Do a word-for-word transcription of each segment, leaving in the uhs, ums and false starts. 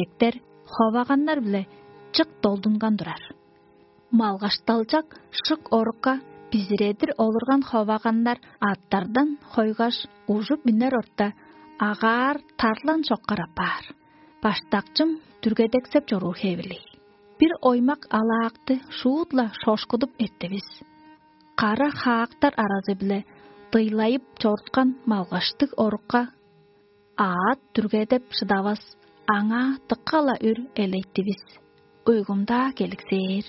Эктер ховаганнар-биле чык долдунган турар. Малгашталчак шык орукка бизиредир олурган ховаганнар аттардан хойгаш, ужуп үнер орта агаар тарлан чоккар апаар. Баштакчым дүргедексеп чоруур хевирлиг. Бир оймак алаакты шуут-ла шошкудуп эрттивис. Кара хаактар аразы-биле дыйлайып чоруткан малгаштыг орукка аът дүргедеп шыдавас, аңаа дыка-ла үр элейтивис. Уйгумдаа келиксээр.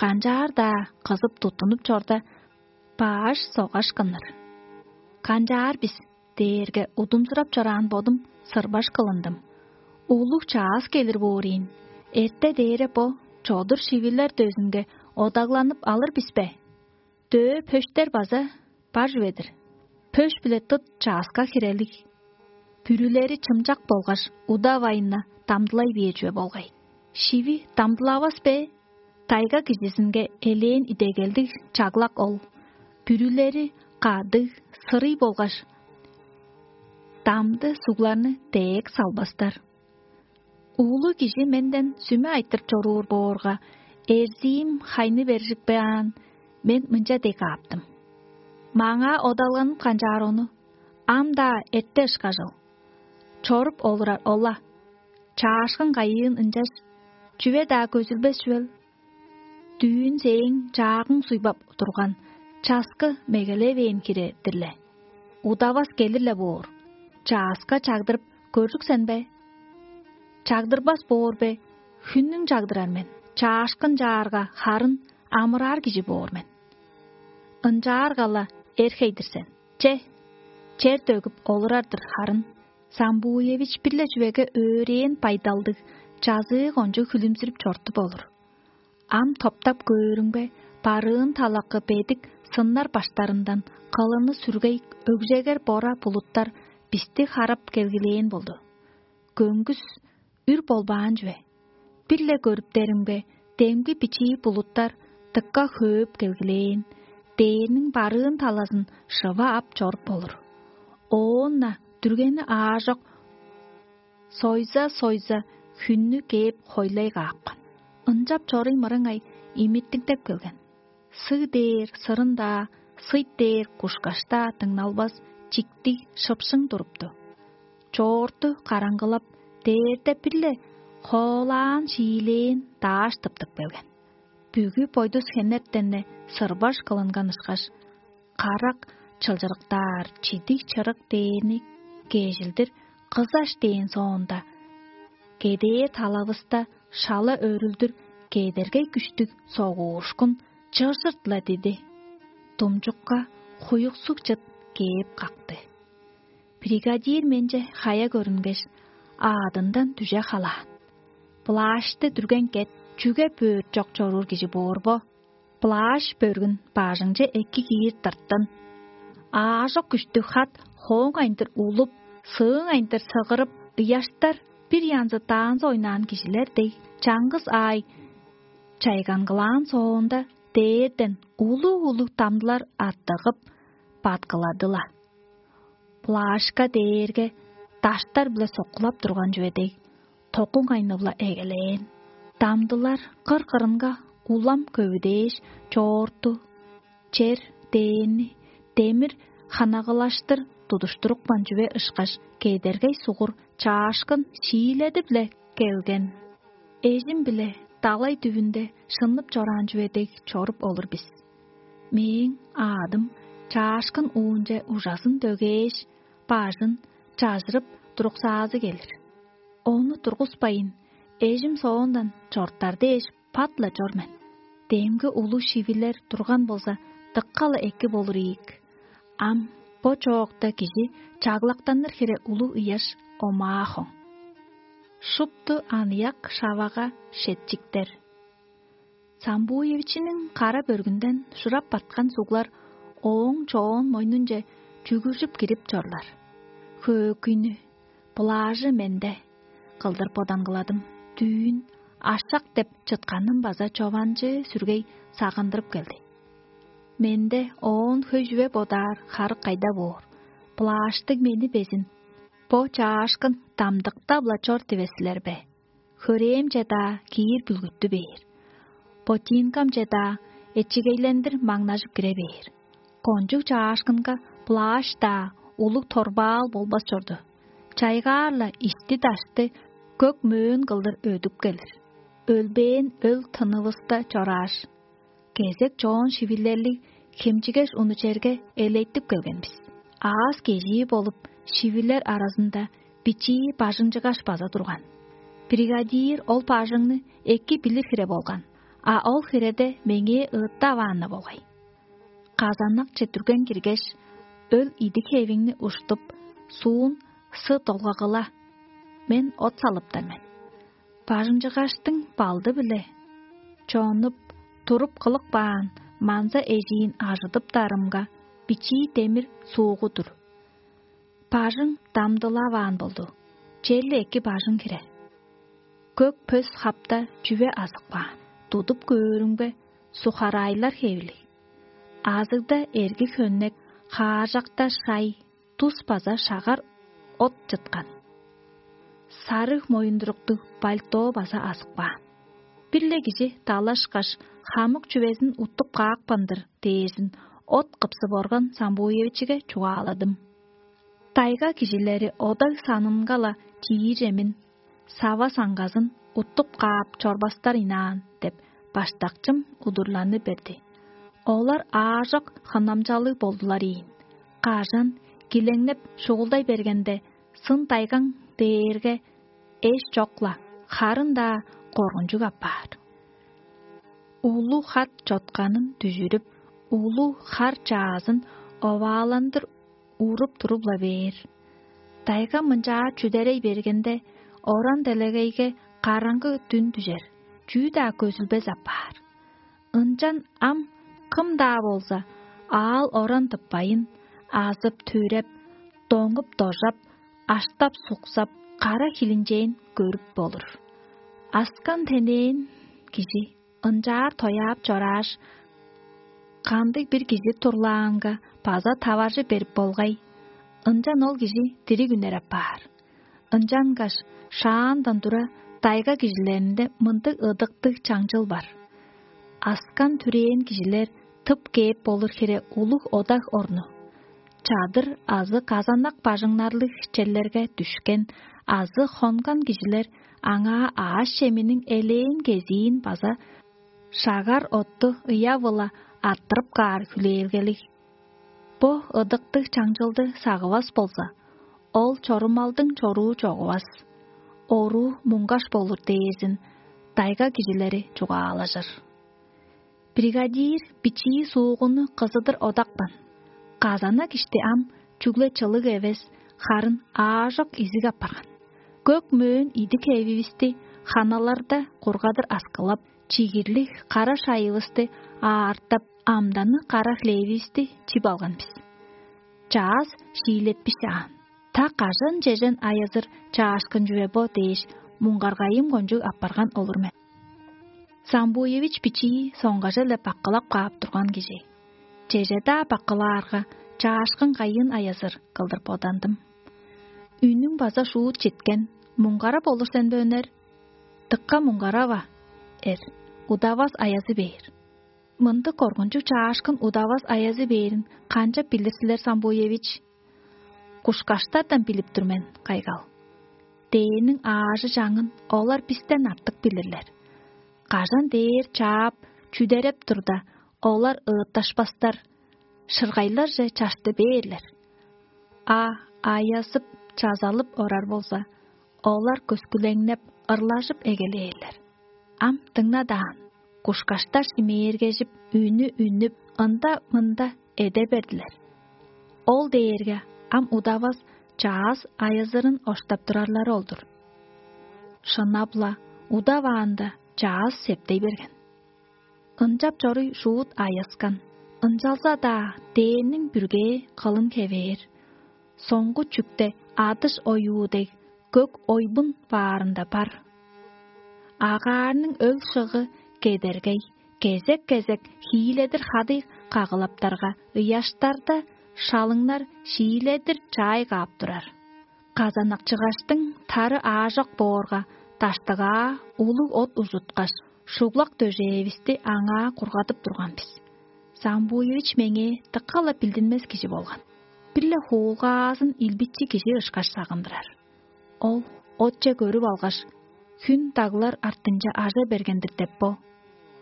Канчаар-даа кызып туттунуп чорда, баш согаш кынныр. «Канчаар бис?» — дээрге, удумзурап чораан бодум сырбаш кылындым. Улуг чаас келир боор ийин. Эрте дээре бо чодур шивилер дөзүнге одагланып алыр бис бе? Дөө пөштер база бар чүве-дир. Пөш-биле тыт чааска хирелиг. Бүрүлери чымчак болгаш удавайн дамдылай бээр чүве болгай. Шиви дамдылавас бе? Тайга кижизинге элээн идегелдиг чаглак ол. Бүрүлери кадыг, сырый болгаш дамды сугларны деек салбастар. Улуг кижи менден сүме айтырып чоруур боорга, эрзиим хайны бержикпеаан, мен мынча дег кааптым: «Маңаа одалганып канчаар ону, ам-даа эрте ышкажыл. Чоруп олурар ол-ла. Чаашкын кайыын ынчаш чүве-даа көзүлбес чүвел. Дүүн сээң чаагың суйбап турган часкы мегелевээн хире-дир-ле. Удавас келир-ле боор. Чааска чагдырып көржүксен бе? Чагдырбас боор бе? Хүннүң чагдырар мен, чаашкын чаарга, харын амыраар кижи боор мен. Ынчаарга-ла эр-хей-дир сен. Че, чер төгүп олурар-дыр харын». Самбуевич бир-ле чүвеге өөрээн байдалдыг, чазыы кончуг хүлүмзүрүп чорудуп олур. Ам топтап көөрүңбе, барыын талакы бедик сыннар баштарындан кылыны сүргей өгжегер бора булуттар бисти харап келгилээн болду. Көңгүс үр болбаан чүве. Бир-ле көрүптеримге, демги бичии булуттар дыка хөөп келгилээн, дээрниң барыын талазын шыва ап чоруп болур. Оон-на дүргени аажок сойза-сойза хүннү кээп хойлай каапкан. Ынчап чоруй мырыңай имиттингдеп келген. Сыг дээр сырын-даа, сый дээр кушкаш-даа дыңналбас чиктиг шыпшың турупту. Чоорту караңгылап, дээрде бир-ле хоолаан шиилээн дааш тыптып келген. Бүгү бойдус хенертен-не сырбаш кылынган ышкаш, карак чылчырыктаар чидиг чырык дээрни кежилдир кызаш дээн соонда, кедээ талавыста шала өрүлдүр кедергей күштүг согуушкун чыжырт-ла диди. Думчукка хуюксуг чыт кээп какты. Бригадир менче хая көрүнгеш, аадындан дүже халаан. Плащты дүрген кет, чүге бөөрт чок чоруур кижи боор бо? Плащ бөргүн бажыңче эки киир тырттын. Аажок күштүг хат хооң айындыр улуп, сыың айындыр сыгырып, ыяштар бир янзы даанзы ойнаан кижилер дег, чаңгыс аай чайгангылаан соонда, дээрден улуг-улуг дамдылар аттыгып, бадкыладыла. Плашка дээрге даштар-биле соккулап турган чүве дег, токуң айнывла эгелээн. Дамдылар кыр-кырынга улам көвүдээш, чоорту, чер, дээни, демир ханагылаштыр тудуштурупкан чүве ышкаш, кедергей сугур чаашкын шииледип-ле келген. Эжим-биле далай дүвүнде шыннып чораан чүве дег чоруп олур бис. Мээң аадым чаашкын уунче ужазын дөгээш, бажын чажырып туруксаазы келир. Ону тургуспайн, эжим соондан чортар дээш, пат-ла чор мен. Демги улуг шивилер турган болза, дыка-ла эки болур ийик. Ам бо чоокта кижи чаглактаныр хире улуг ыяш омаа хоң. Шупту аныяк шавага шетчиктер. Самбуевичиниң кара бөргүнден шурап баткан суглар ооң чоон мойнунче чүгүржүп кирип чорлар. Хөөкүйнү, плажы менде кылдыр бодангыладым. Дүүн ашак деп чытканым база чованчыы сүргей сагындырып келди. Менде оон хөй чүве бодаар харык кайда боор? Плаштыг мени безин бо чаашкын дамдыктап-ла чор дивес силер бе? хөрээм чеда киир бүлгүттү бээр. Ботинкам чеда эчигейлендир маңнажып кире бээр. Кончуг чаашкынга плащ-даа, улуг торбаал болбас чорду. Чайгаар-ла ишти-дашты көк мөөн кылдыр өдүп келир. Өлбээн өл тынывыста чорааш, кезек чоон шивилерлиг хемчигеш уну черге элейтип келген бис. Аас кежии болуп, шивилер аразында бичии бажыңчыгаш база турган. Бригадир ол бажыңны эки билир хире болган, а ол хиреде меңээ ыыттаваан-на болгай. Казаннакче дүрген киргеш, өл идик хевиңни уштуп, суун сы долгагыла, мен от салыптар мен. Бажыңчыгаштың балды-биле чонуп, туруп кылып каан манза эжиин ажыдыптарымга, бичии демир суугу-дур. Бажың дамдылаваан болду. Черле эки бажың хире. Көк пөс хапта чүве азып каан. Тудуп көөрүмге, сухарайлар хевилиг. Азыгда эрги хөннек, хааржакта шай, тус база шагар от чыткан. Сарыг моюндуруктуг пальто база азып каан. Бир-ле кижи далашкаш, хамык чүвезин уттуп каапкан-дыр дээрзин от кыпсып орган Самбуевичиге чугааладым. Тайга кижилери одаг санынга-ла чиир эмин, сава саңгазын уттуп каап чорбастар ынаан деп, баштакчым удурланы берди. Олар аажок хынамчалыг болдулар ийин. Кажан килеңнеп шугулдай бергенде, сын тайгаң дээрге эш чок-ла, харын-даа коргунчуг апаар. Улуг хат чотканын дүжүрүп, улуг хар чаазын овааландыр уруп туруп-ла бээр. Тайга мынчаар чүдерей бергенде, оран делегейге караңгы дүн дүжер, чүү-даа көзүлбес апаар. Ынчан ам кым-даа болза, аал-оран тыппайын, азып-түреп, доңуп-дожап, аштап-суксап, кара хилинчээн көрүп болур. Аскан-тенээн кижи ынчаар тояап чорааш, кандыг-бир кижи турлаанга база таваржы берип болгай, ынчан ол кижи дириг үнер апаар. Ынчангаш шаандан тура тайга кижилеринде мындыг ыдыктыг чаңчыл бар: аскан-түрээн кижилер тып кээп болур хире улуг одак орну. Чадыр азы казанак бажыңнарлыг черлерге дүшкен азы хонган кижилер аңаа аъш-чеминиң элээн кезиин база шагар отту ыяв-ла арттырып каар хүлээлгелиг. Бо ыдыктыг чаңчылды сагывас болза, ол чорумалдың чоруу чогувас, оруу муңгаш болур дээрзин тайга кижилери чугаалажыр. Бригадир бичии суугунну кызыдыр одапкан. Казанак ишти ам чүгле чылыг эвес, харын аажок изиг апарган. Көк мөөн идик эвивисти ханаларда кургадыр аскылап, чигирлиг кара шайывысты аартап, амданы кара хлевивисти чип алган бис. Чаъс шиилетпишаан. Та кажан чежен айызыр чаашкын чүве бо дээш, муңгаргайым кончуг апарган олур мен. Самбуевич бичии соңгаже-ле баккылап каап турган кижи. Чеже-даа баккылаарга, чаашкын кайыын айызыр кылдыр бодандым. Үнүң база шуут четкен, муңгарап олур сен бе, өнер? Дыкка муңгарава, эр, удавас аязы бээр. Мындыг коргунчуг чаашкын удавас аязы бээрин канчап билир силер, Самбуевич? Кушкаштардан билип тур мен, кайгал. Дээниң аажы-чаңын олар бистен артык билирлер. Кажан дээр чаап, чүдереп турда, олар ыытташпастар, шыргайларже чашты бээрлер. А аязып, чазалып орар болза, олар көскүлеңнеп, ырлажып эгелээрлер. Ам дыңна даан, кушкаштар шимээргежип, үнү үннүп, ында-мында эде бердилер. Ол дээрге ам удавас чаъс айызырын оштап турарлары ол-дур. Шынап-ла, удаваанда чаъс септей берген. Ынчап чоруй шуут айыскан, ынчалза-даа дээниң бүргээ кылын хевээр, соңгу чүкте адыш оюу дег көк ойбун баарында бар. Агаарның өл шыгы кедергей, кезек-кезек хииледир хадый кагылаптарга ыяштарда шалыңнар шииледир чаай каап турар. Казанакчыгаштың тары аажок боорга, даштыгаа улуг от ужуткаш, шуглак дөжээвисти аңаа кургадып турган бис. Самбуевич меңээ дыка-ла билдинмес кижи болган. Бир-ле хуулгаазын илбитчи кижи ышкаш сагындырар. Ол отче көрүп алгаш, хүн даглар артынче ажа берген-дир деп бо.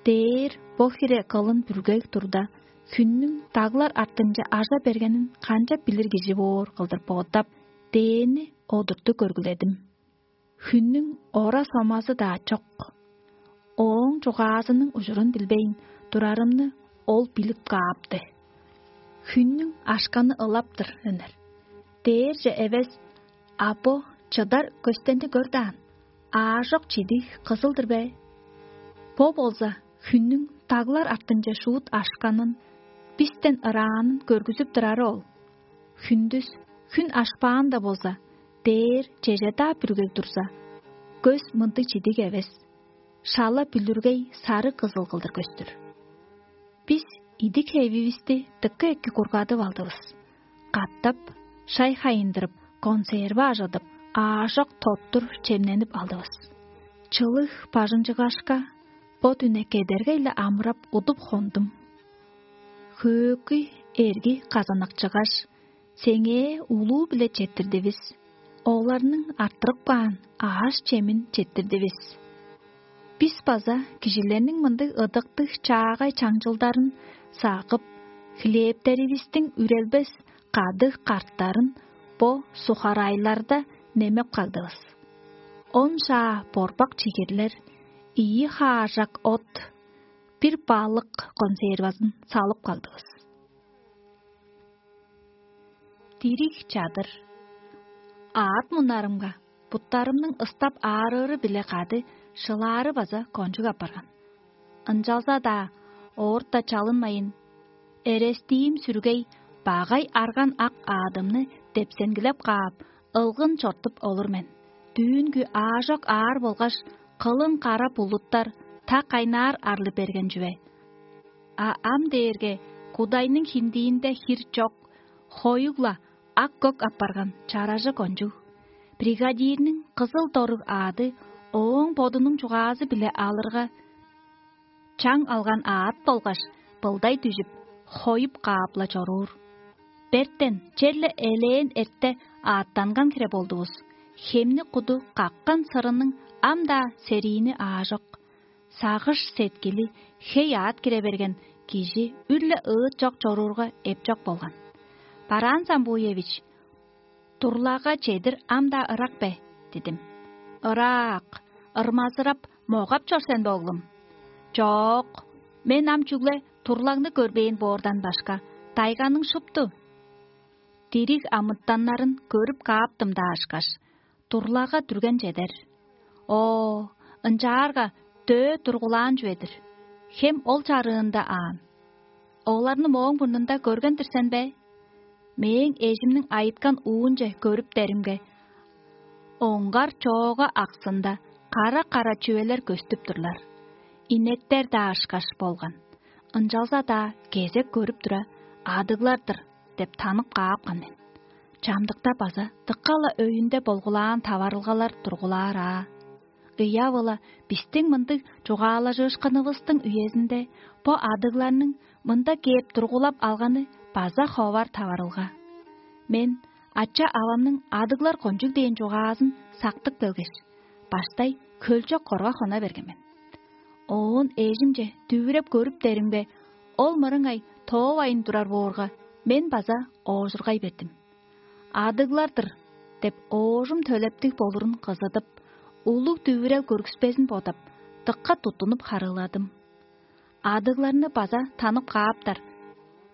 Дээр бо хире кылын бүргей турда, хүннүң даглар артынче ажа бергенин канчап билир кижи боор кылдыр боодап, дээни одурту көргүледим. Хүннүң ора-сомазы-даа чок. Ооң чугаазының ужурун билбейн турарымны ол билип каапты. Хүннүң ашканы ылаптыр үнер. Дээрже эвес, а бо чыдар көстенди көр даан, аажок чидиг кызыл-дыр бе? Бо болза хүннүң даглар артынче шуут ашканын, бистен ыраанын көргүзүп турары ол. Хүндүс хүн ашпаан-даа болза, дээр чеже-даа бүргей турза, көс мындыг чидиг эвес, шала бүлүргей сары кызыл кылдыр көстүр. Бис идик хевивисти дыка эки кургадып алдывыс. Катап шай хайындырып, консерва ажыдып, аажок тоттур чемненип алдывыс. Чылыг бажыңчыгашка, бо дүне кедергей-ле амырап удуп хондум. Хөөкүй эрги казанакчыгаш, сеңээ улуу-биле четтирдивис. Оларның арттырып каан аъш-чемин четтирдивис. Бис база кижилерниң мындыг ыдыктыг чаагай чаңчылдарын сагып, хлебтеривистиң үрелбес кадыг карттарын бо сухарайларда немеп кагдывыс. Он шаа борбак чигирлер, ийи хаажак от, бир балык консервазын салып кагдывыс. Дириг чадыр. Аът мунарымга, буттарымның ыстап аарыыры-биле кады шылаары база кончуг апарган. Ынчалза-даа оорта чалынмайын, эрестиим сүргей багай арган ак аадымны депсенгилеп каап, ылгын чортуп олур мен. Дүүнгү аажок аар болгаш кылын кара булуттар та кайнаар арлы берген чүве. А ам дээрге кудайның хиндиинде хир чок, хоюг-ла ак-көк апарган чаражы кончуг. Бригадирниң кызыл доруг аады ооң бодунуң чугаазы-биле алырга, чаң алган аът болгаш былдай дүжүп, хоюп каап-ла чоруур. Бертен черле элээн эрте аъттанган хире болдувус. Хемни куду каккан сырының ам-даа сериини аажок. Сагыш-сеткили хей аът кире берген кижи үр-ле ыыт чок чоруурга эпчок болган. «Бараан Самбуевич, турлага чедир ам-даа ырак бе?» — дидим. «Ыраак, ырмазырап, могап чор сен бе, оглум?» «Чок, мен ам чүгле турлаңны көрбээн боордан башка, тайганың шупту дириг амытаннарын көрүп кааптым-даа ышкаш, турлага дүрген чедер. Оо, ынчаарга дөө тургулаан чүве-дир. Хем ол чарыында аан. Оларны мооң мурнунда көрген-дир сен бе?» Мээң эжимниң айыткан уунче көрүптеримге, оңгар чоога аксында кара-кара чүвелер көстүп турлар. Инектер-даа ышкаш болган. Ынчалза-даа кезек көрүп тура, «Адыглар-дыр» деп танып каапкан мен. Чамдыкта база дыка-ла өйүнде болгулаан таварылгалар тургулаар аа. Ыяап-ла, бистиң мындыг чугаалажыышкынывыстың үезинде бо адыгларның мында кээп тургулап алганы база ховар таварылга. Мен ача-авамның адыглар кончуг дээн чугаазын сактып келгеш, баштай хөлчок корга хона берген мен. Оон эжимче дүвүреп көрүптеримге, ол мырыңай тоовайн турар боорга, мен база оожургай бердим. «Адыглар-дыр» деп оожум төлептиг болурун кызыдып, улуг дүвүрел көргүспезин бодап, дыка туттунуп харыыладым. Адыгларны база танып кааптар.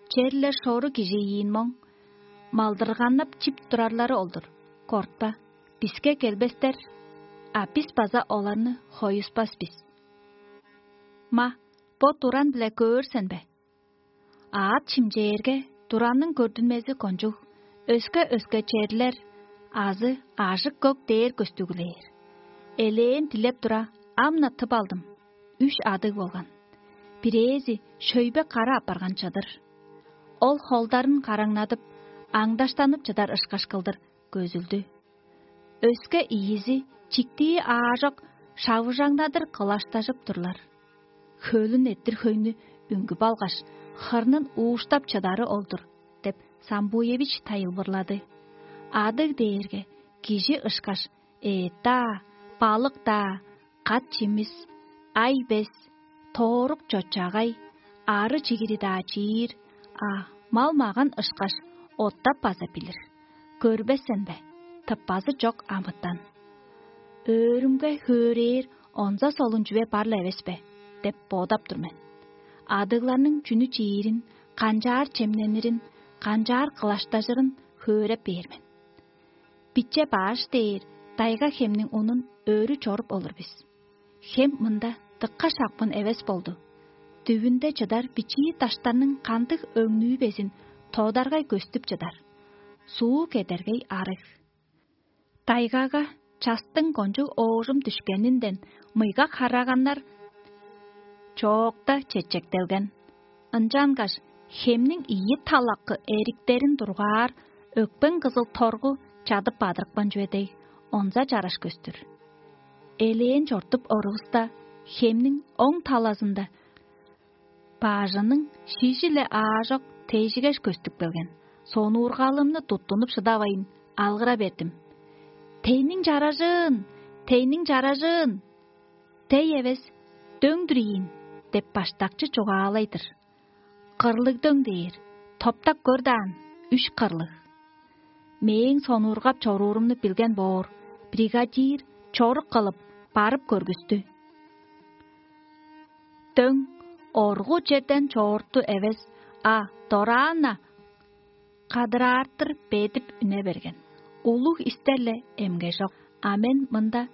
Черле шору кижи ийин моң. Малдырганнап чип турарлары ол-дур. Кортпа, биске келбестер, а бис база оларны хоюспас бис. Ма, бо туран-биле көөр сен бе? Аът шимчээрге, туранның көрдүнмези кончуг, өске-өске черлер азы ажык-көк дээр көстүглээр. Элээн дилеп тура, ам-на тып алдым. Үш адыг болган. Бирээзи шөйбе кара апарган чыдыр. Ол холдарын караңнадып, аңдаштанып чыдар ышкаш кылдыр көзүлдү. Өске ийизи чиктии аажок шавыжаңнадыр кылаштажып турлар. Хөлүн эрттир хөйнү үнгүп алгаш, хырнын ууштап чыдары ол-дур» – деп, Самбуевич тайылбырлады. Адыг дээрге кижи ышкаш эът-даа, балык-даа, кат-чимис, ай-бес, тоорук-чочагай, ары-чигири-даа чиир, а мал-маган ышкаш оттап база билир. Көрбес сен бе? Тыппазы чок амытан. «Өөрүмге хөөрээр онза солун чүве бар-ла эвес бе?» – деп бодап тур мен. Адыгларның чүнү чиирин, канчаар чемненирин, канчаар кылаштажырын хөөреп бээр мен. Биче баш дээр дайга хемниң унун өрү чоруп олур бис. Хем мында дыкка шапкын эвес болду. Дүвүнде чыдар бичии даштарның кандыг өңнүү безин тодаргай көстүп чыдар. Суу кедергей арыг. Дайгага частың кончуг оожум дүшкенинден мыйга хараганнар чоокта чечектелген. Ынчангаш хемниң ийи талакы эриктерин дургаар, өкпең кызыл торгу чадып бадырыпкан чүве дег, онза чараш көстүр. Элээн чортуп орувуста, хемниң оң талазында бажының шижи-ле аажок тежигеш көстүп келген. Сонуургалымны туттунуп шыдавайн, алгыра бердим: «Тейниң чаражыын! Тейниң чаражыын! Тей эвес, дөң-дүр ийин» – деп баштакчы чугаалай-дыр. «Кырлыг дөң» – дээр, топтап көр даан, үш кырлыг. Мээң сонуургап чоруурумну билген боор, бригадир чорук кылып, барып көргүстү. Дөң оргу черден чоорту эвес, а дораан-на кадыраартыр бедип үне берген. Улуг истер-ле эмгежок, а мен мында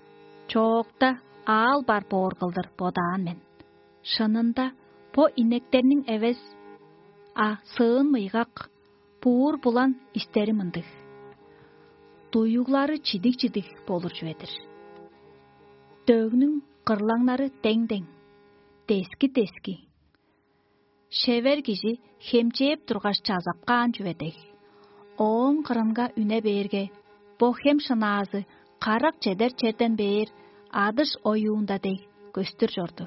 чоокта аал бар боор кылдыр бодаан мен. Шынында, бо инектерниң эвес, а сыын мыйгак, буур-булан истери мындыг: дуюглары чидиг-чидиг болур чүве-дир. Дөгнүң кырлаңнары дең-дең, дески-дески. Шевер кижи хемчээп тургаш чазап каан чүве дег. Ооң кырынга үне бээрге, бо хем шынаазы карак чедер черден бээр адыш оюунда дег көстүр чорду.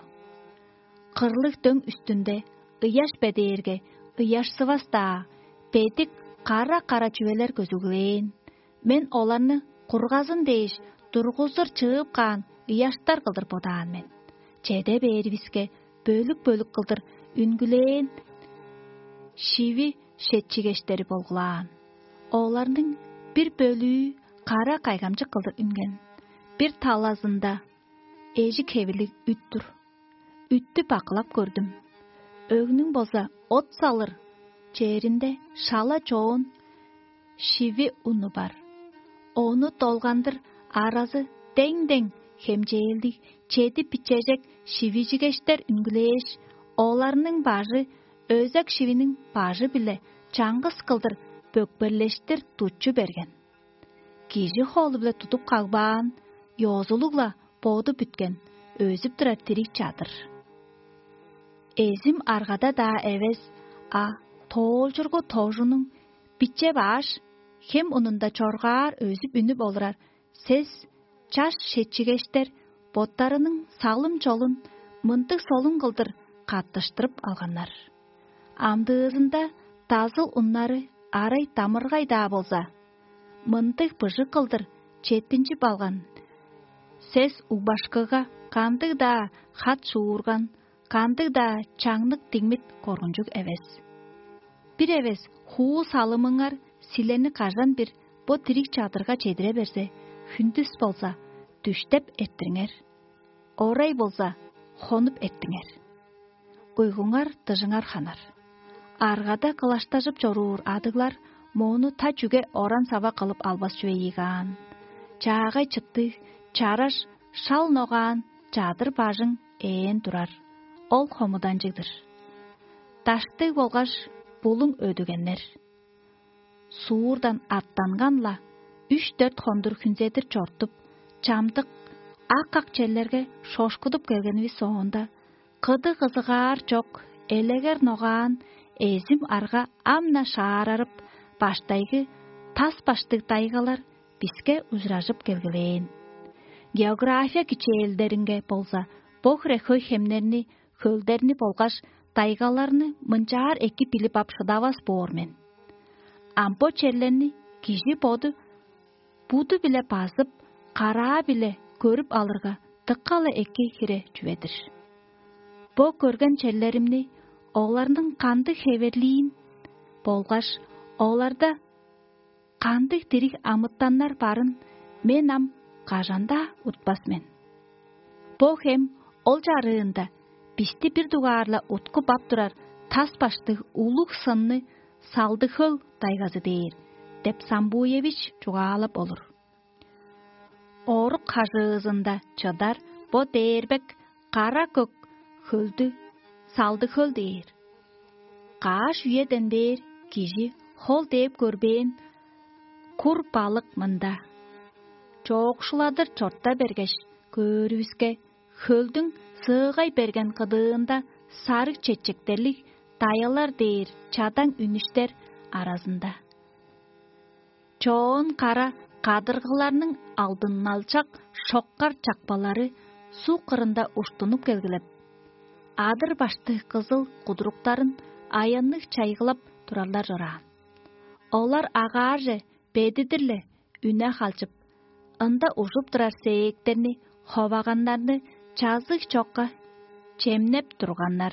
Кырлыг дөң үстүнде ыяш бедээрге, ыяшсывас-даа, бедик кара-кара чүвелер көзүглээн. Мен оларны кургазын дээш тургузур чыып каан ыяштар кылдыр бодаан мен. Чеде бээривиске, бөлүк-бөлүк кылдыр үнгүлээн шиви шетчигештери болгулаан. Оларның бир бөлүү кара кайгамчык кылдыр үнген. Бир талазында эжик хевирлиг үт-түр. Үттү бакылап көрдүм. Өгнүң болза от салыр черинде шала чоон шиви уну бар. Ону долгандыр аразы дең-дең хемчээлдиг чеди бичежек шивижигештер үнгүлээш, оларның бажы өзек шивиниң бажы-биле чаңгыс кылдыр бөкперлештир тутчу берген. Кижи холу-биле тудуп кагбаан, ёзулуг-ла боду бүткен, өзүп турар дириг чадыр. Эзим аргада-даа эвес, а тоолчургу тожунуң биче баш хем унунда чоргаар өзүп үнүп олурар сес чаш шечигештер боттарының салым-чолун мындыг солун кылдыр каттыштырып алганнар. Амдыызында дазыл уннары арай дамыргай-даа болза, мындыг быжыг кылдыр четтинчип алган сес угбашкыга кандыг-даа хат шуурган, кандыг-даа чаңнык дигмит коргунчуг эвес. Бир эвес хуу салымыңар силерни кажан бир бо дириг чадырга чедире берзе, хүндүс болза, дүштеп эрттириңер, орай болза, хонуп эрттиңер. Уйгуңар дыжыңар ханар. Аргада кылаштажып чоруур адыглар моону та чүге оран-сава кылып албас чүве ийик аан. Чаагай чыттыг, чараш, шал ногаан чадыр бажың ээн турар. Ол хомуданчыг-дыр. Даштыг болгаш булуң өдүгеннер. Суурдан аттанган-ла, үш-дөрт хондур хүнзедир чортуп, чамдык ак-ак черлерге шошкудуп келгенивис соонда, кыды-кызыгаар чок, элегер ногаан эзим арга ам-на шаарарып, баштайгы тас баштыг дайгалар биске ужуражып келгилээн. География кичээлдеринге болза, бо хире хөй хемнерни, хөлдерни болгаш тайгаларны мынчаар эки билип ап шыдавас боор мен. Ам бо черлерни кижи боду буду-биле базып, караа-биле көрүп алырга, дыка-ла эки хире чүве-дир. Бо көрген черлеримни, оларның кандыг хеверлиин болгаш оларда кандыг дириг амытаннар барын мен ам кажан-даа утпас мен. Бо хем ол чарыында бисти бир дугаар-ла уткуп ап турар тас баштыг улуг сынны Салдыг-Хөл тайгазы дээр деп Самбуевич чугаалап олур. Орук хажыызында чыдар бо дээрбек кара-көк хөлдү Салдыг-Хөл дээр. Каш үеден бээр кижи хол дээп көрбээн кур балык мында. Чоокшуладыр чорта бергеш, көөрүвүске, хөлдүң сыыгай берген кыдыында сарыг чечектерлиг дайалар дээр чадаң үнүштер аразында. Чоон кара кадыргыларның алдын-налчак шоккар чакпалары суг кырында уштунуп келгилеп, адыр-башты кызыл кудуруктарын аянныг чайгылап турарлар чораан. Олар агаарже бедидир-ле үне халчып, ында ужуп турар сээктерни, ховаганнарны чазыг чокка чемнеп турганнар.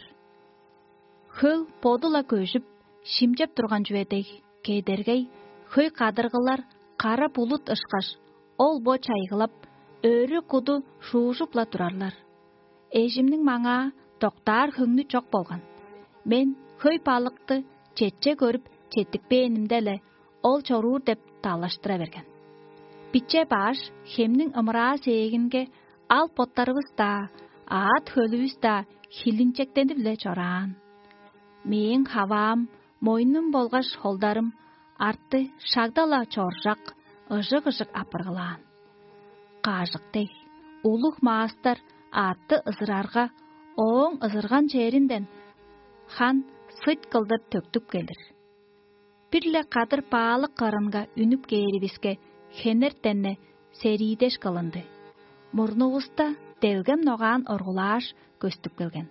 Хөл боду-ла көжүп, шимчеп турган чүве дег, кедергей, хөй кадыргылар кара булут ышкаш, ол-бо чайгылап, өрү-куду шуужуп-ла турарлар. Эжимниң маңаа доктаар хөңнү чок болган. Мен хөй балыкты четче көрүп четтикпээнимде-ле, ол чоруур деп далаштыра берген. Биче баш хемниң ымыраа сээгинге ал боттарывыс-даа, аът-хөлүвүс-даа хилинчектенип-ле чораан. Мээң хаваам, мойнум болгаш холдарым арты шагда-ла чоржак, ыжык-ыжык апыргылаан. Кажык дег, улуг маастар аътты ызырарга, ооң ызырган черинден хан сыт кылдыр төктүп келир. Бир-ле кадыр баалык кырынга үнүп кээривиске, хенертен-не сериидеш кылынды. Мурнувуста делгем ногаан оргулааш көстүп келген.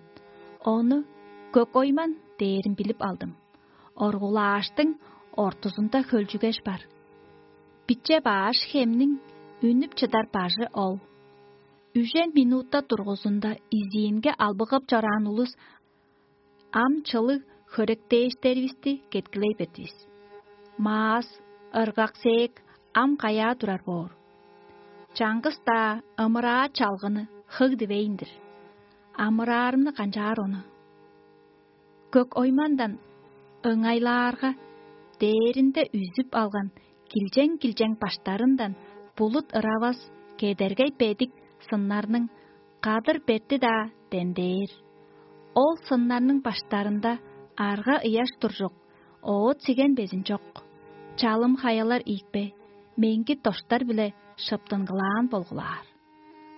Ону көк ойман дээрин билип алдым. Оргулааштың ортузунда хөлчүгеш бар. Биче баш хемниң үнүп чыдар бажы ол. Үжен минутта дургузунда изиинге албыгып чораан улус ам чылыг хөректээштеривисти кеткилей бердивис. Маас, ыргак-сээк ам каяа турар боор? Чаңгыс-даа ымыраа чалгыны хыг дивейн-дир. Амыраарымны канчаар ону? Көк оймандан ыңайлаарга, дээринде үзүп алган килчең-килчең баштарындан булут ыравас кедергей бедик сыннарның кадыр берти-даа дендээр. Ол сыннарның баштарында арга ыяш туржук, оът сиген безин чок, чалым хаялар ийикпе, меңги доштар-биле шыптынгылаан болгулаар.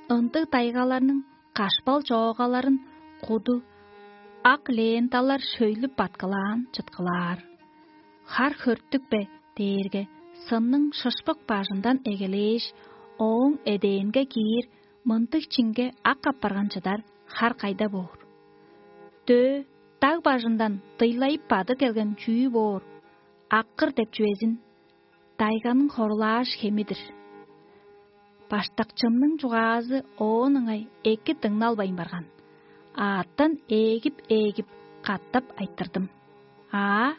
Ындыг тайгаларның кашпал чоогаларын куду ак ленталар шөйлүп баткылаан чыткылаар. Хар хөрттүкпе дээрге, сынның шышпык бажындан эгелээш, ооң эдээнге киир мындыг чинге ак апарган чыдар хар кайда боор? Дөө даг бажындан дыйлайып бады келген чүү боор? Аккыр деп чүвезин дайганың хорулааш хеми-дир. Баштакчымның чугаазы оон ыңай эки дыңналбайн барган. Аъттан ээлгип-ээлгип катап айтырдым: «Аа,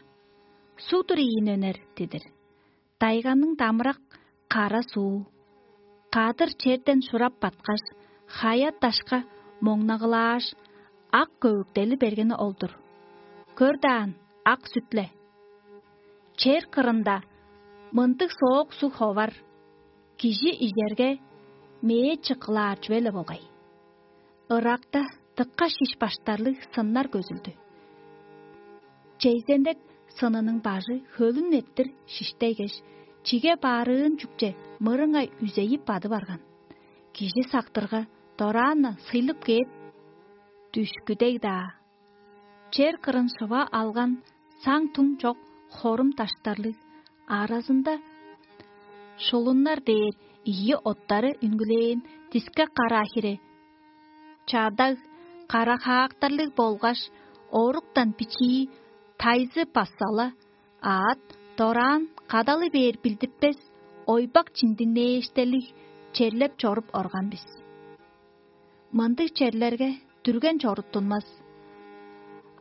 суг-дур ийин өнер дидир. Дайганың дамырак кара суу. Кадыр черден шурап баткаш, хая-дашка моңнагылааш, ак көвүктели бергени ол-дур. Көр даан, ак сүт-ле. Чер кырында мындыг соок суг ховар, кижи ижерге, мээ чыккылаар чүве-ле болгай». Ыракта дыка шиш баштарлыг сыннар көзүлдү. Чейзендек сынының бажы хөлүн эрттир шиштейгеш, чиге баарыын чүкче мырыңай үзейип бады барган. Кижи сактырга, дораан-на сыйлып кээп, дүшкүдей-даа. Чер кырын шыва алган саң-туң чок хорум даштарлыг, аразында шулуннар дээр ийи оттары үнгүлээн дискек караа хире, чадаг, кара-хаактарлыг болгаш оруктан бичии тайзы бассала, аът дораан кадалы бээр билдиртпес ойбак чиндиңнээштелиг черлеп чоруп орган бис. Мындыг черлерге дүрген чоруттунмас.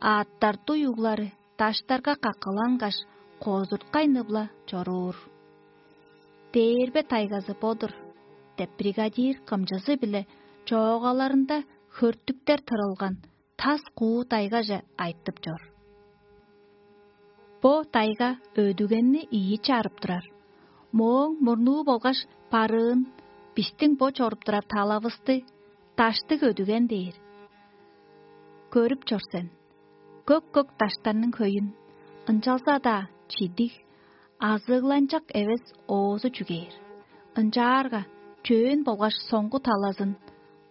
Аъттар дуй углары даштарга каккылангаш, козурткай-ны-биле чоруур. «Дээрбе тайгазы бо-дур» – деп, бригадир кымчызы-биле чоогаларында хөртүктер тырылган тас куу тайгаже айтып чор. Бо тайга өдүгенни ийи чарып турар. Мооң мурнуу болгаш барыын бистиң бо чоруп турар талавысты даштыг өдүген дээр. Көрүп чор сен, көк-көк даштарның хөйүн, ынчалза-даа чидиг, азыгланчак эвес оозу чүгээр. Ынчаарга чөөн болгаш соңгу талазын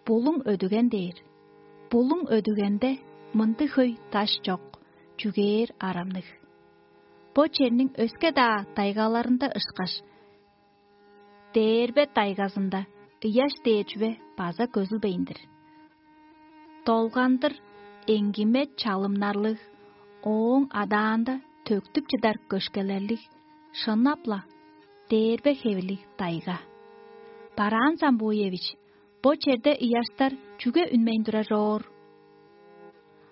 булуң өдүген дээр. Булуң өдүгенде мындыг хөй даш чок, чүгээр арамныг. Бо черниң өске-даа тайгаларында ышкаш, Дээрбе тайгазында ыяш дээр чүве база көзүлбейн-дир. Долгандыр эңгиме чалымнарлыг, ооң адаанда төктүп чыдар көшкелерлиг, шынап-ла, дээрбе хевирлиг тайга. Бараан Самбуевич, бо черде ыяштар чүге үнмейн турар чоор?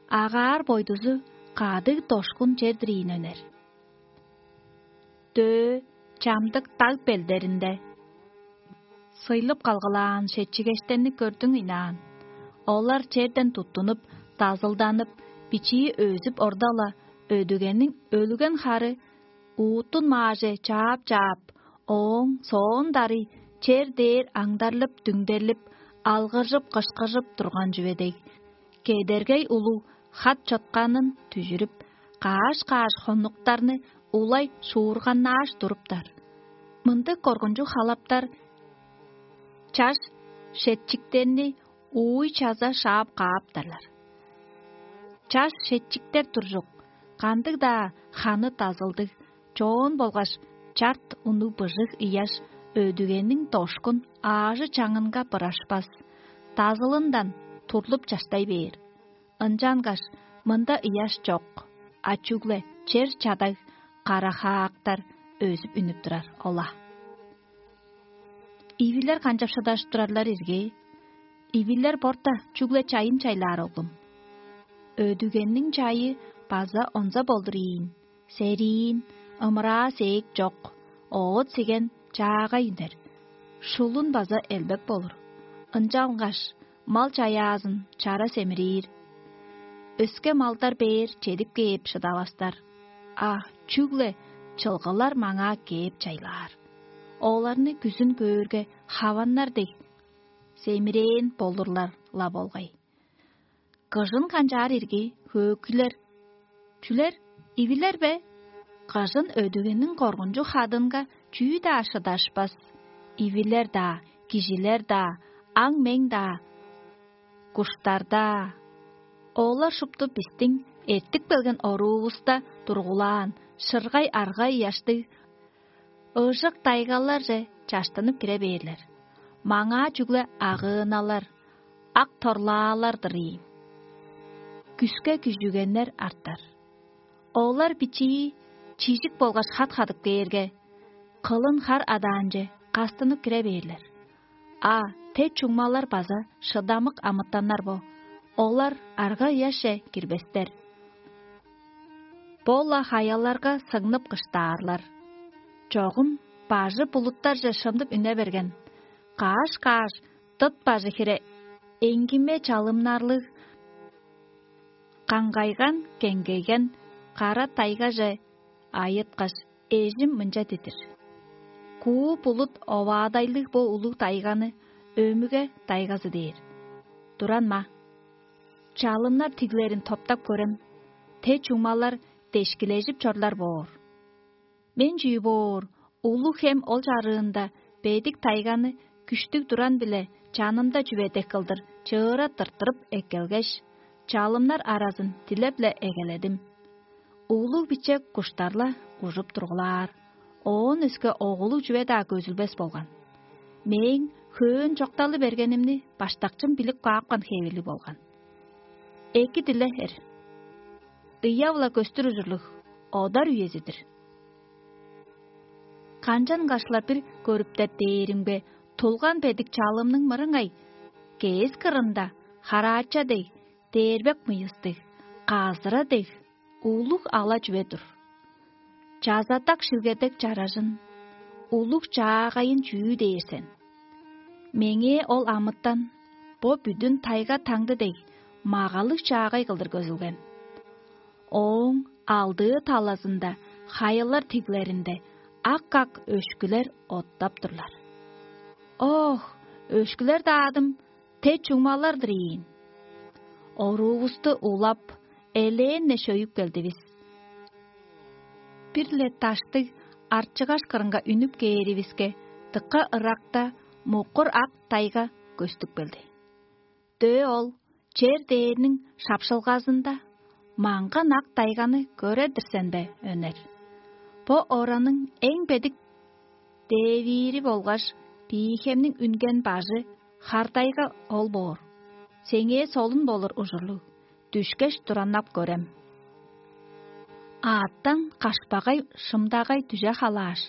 Агаар бойдузу кадыг дошкун чер-дир ийин, өнер. Дөө чамдык даг белдеринде сыйлып калгылаан шетчигештерни көрдүң ыйнаан. Олар черден туттунуп, дазылданып, бичии өзүп орда-ла, өдүгениң өлүген хары уутун мааже чаап-чаап, ооң соон дарый чер дээр аңдарлып-дүңдерлип, алгыржып-кышкыжып турган чүве дег, кедергей улуг хат чотканын дүжүрүп, каш-каш хонуктарны улай шуурганнааш туруптар. Мындыг коргунчуг халаптар чаш шетчиктерни ууй-чаза шаап кааптарлар. Чаш шетчиктер туржук, кандыг-даа ханы дазылдыг, чоон болгаш чарт унуг быжыг ыяш өдүгениң дошкун аажы-чаңынга бырашпас, дазылындан турлуп чаштай бээр. Ынчангаш мында ыяш чок, а чүгле чер чадаг, кара-хаактар өзүп үнүп турар ол-ла. Ивилер канчап шыдажып турарлар ирги? Ивилер борта чүгле чайын чайлаар, оглум. Өдүгенниң чайы база онза болдур ийин, сериин, ымыраа-сээк чок, оът-сиген чаагай үнер, шулун база элбек болур. Ынчангаш мал чаяазын чара семирээр. Өске малдар бээр чедип кээп шыдавастар, а чүгле чылгылар маңаа кээп чайлаар. Оларны күзүн көөрге, хаваннар дег семирээн болурлар-ла болгай. Кыжын канчаар ирги, хөөкүйлер? Чүлер, ивилер бе? Кыжын өдүгениң коргунчуг хадынга чүү-даа шыдашпас. Ивилер-даа, кижилер-даа, аң-мең-даа, куштар-даа. Олар шупту бистиң эртип келген оруувуста тургулаан шыргай арга ыяштыг ыжык тайгаларже чаштынып кире бээрлер. Маңаа чүгле агыыналар, ак торлаалар-дыр ийин. Күске күжүгеннер артар. Олар бичии чижик болгаш хат-хадып кээрге, кылын хар адаанче кастынып кире бээрлер. А те чуңмалар база шыдамык амытаннар бо, олар арга-ыяшче кирбестер. Бо-ла хаяларга сыңнып кыштаарлар. Чогум бажы булуттарже шымнып үне берген, каш-каш дыт бажы хире эңгиме чалымнарлыг, каңгайган-кеңгейген кара тайгаже айыткаш, эжим мынча дидир: «Куу булут оваадайлыг бо улуг тайганы өмүге тайгазы дээр. Туран-ма, чалымнар тиглерин топтап көрем, те чуңмалар дешкилежип чорлар боор». Мен чүү боор, улуг хем ол чарыында бедик тайганы күштүг туран-биле чанымда чүве дег кылдыр чыыра тырттырып эккелгеш, чалымнар аразын дилеп-ле эгеледим. Улуг-биче куштар-ла ужуп тургулаар, оон өске оголуг чүве-даа көзүлбес болган. Мээң хөөн чокталы бергенимни баштакчым билип каапкан хевирлиг болган. Эки диле эр. Ыяв-ла көстүр ужурлуг одар үези-дир. Канчан кашла бир көрүптер дээримге, тулган бедик чалымның мырыңай кээс кырында хараача дег, дээрбек мыйыстыг, казыра дег, улуг ала чүве-дур. Чазатак шилгедек чаражын, улуг чаагайын чүү дээр сен? Меңээ ол амытан, бо бүдүн тайга таңды дег, магалыг чаагай кылдыр көзүлген. Ооң алдыы талазында хаялар тиглеринде ак-ак өшкүлер оттап турлар. Ох, өшкүлер-даа адым те чуңмалар-дыр ийин. Оруувусту улап, элээн-не шөйүп келдивис. Бир-ле даштыг арчыгаш кырынга үнүп кээривиске, дыка ыракта муккур ак тайга көстүп келди. Дөө ол чер дээрниң шапшылгазында маңган ак тайганы көрер-дир сен бе, Өнер? Бо ораның эң бедик девири болгаш Биихемниң үнген бажы хартайга ол боор. Сеңээ солун болур ужурлуг, дүшкеш, тураннап көрем. Аъттан кашпагай шымдагай дүже халааш,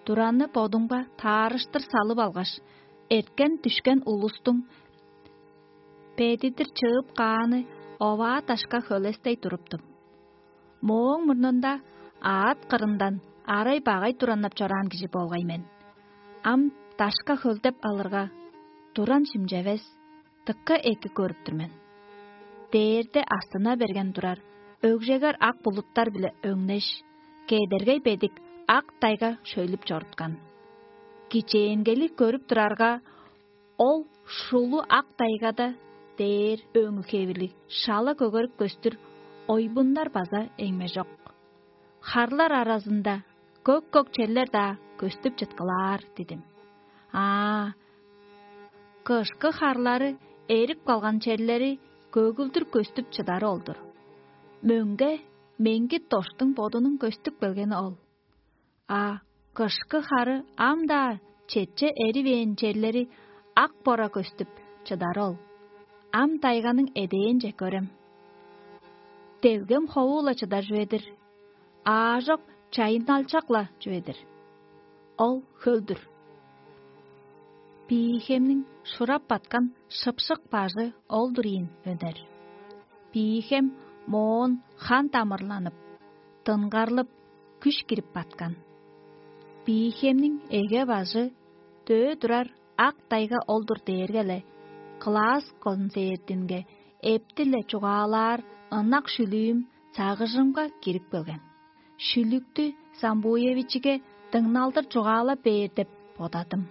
туранны бодумга таарыштыр салып алгаш, эрткен-дүшкен улустуң бедидир чыып кааны оваа дашка хөлестей туруптум. Мооң мурнунда аът кырындан арай-багай тураннап чораан кижи болгай мен. Ам дашка хөлдеп алырга, туран шимчевес, дыка эки көрүп тур мен. Дээрде астына берген турар, өгжегер ак булуттар-биле өңнеш, кедергей бедик ак тайга шөйлүп чоруткан. Кичээнгели көрүп турарга, ол шулу ак тайгада дээр өңү хевирлиг шала көгерик көстүр ойбуннар база эңмежок. Харлар аразында көк-көк черлер-даа көстүп чыткылаар дидим. Аа, кышкы харлары эрип калган черлери көгүлдүр көстүп чыдары ол-дур. Мөңге меңги доштуң бодунуң көстүп келгени ол. А кышкы хары ам-даа четче эривээн черлери ак бора көстүп чыдары ол. Ам тайганың эдээнче көрем. Делгем хову-ла чыдар чүве-дир, аажок чайынналчак-ла чүве-дир. Ол хөл-дүр. Биихемниң шурап баткан шыпшык бажы ол-дур ийин, Өнер. Биихем моон хан тамырланып, дыңгарлып, күш кирип баткан. Биихемниң эге бажы дөө турар ак тайга ол-дур дээрге-ле, кылаас концертинге эптиле чугаалаар ынак шүлүүм сагыжымга кирип келген. Шүлүктү Самбуевичиге дыңналдыр чугаалап бээр деп бодадым.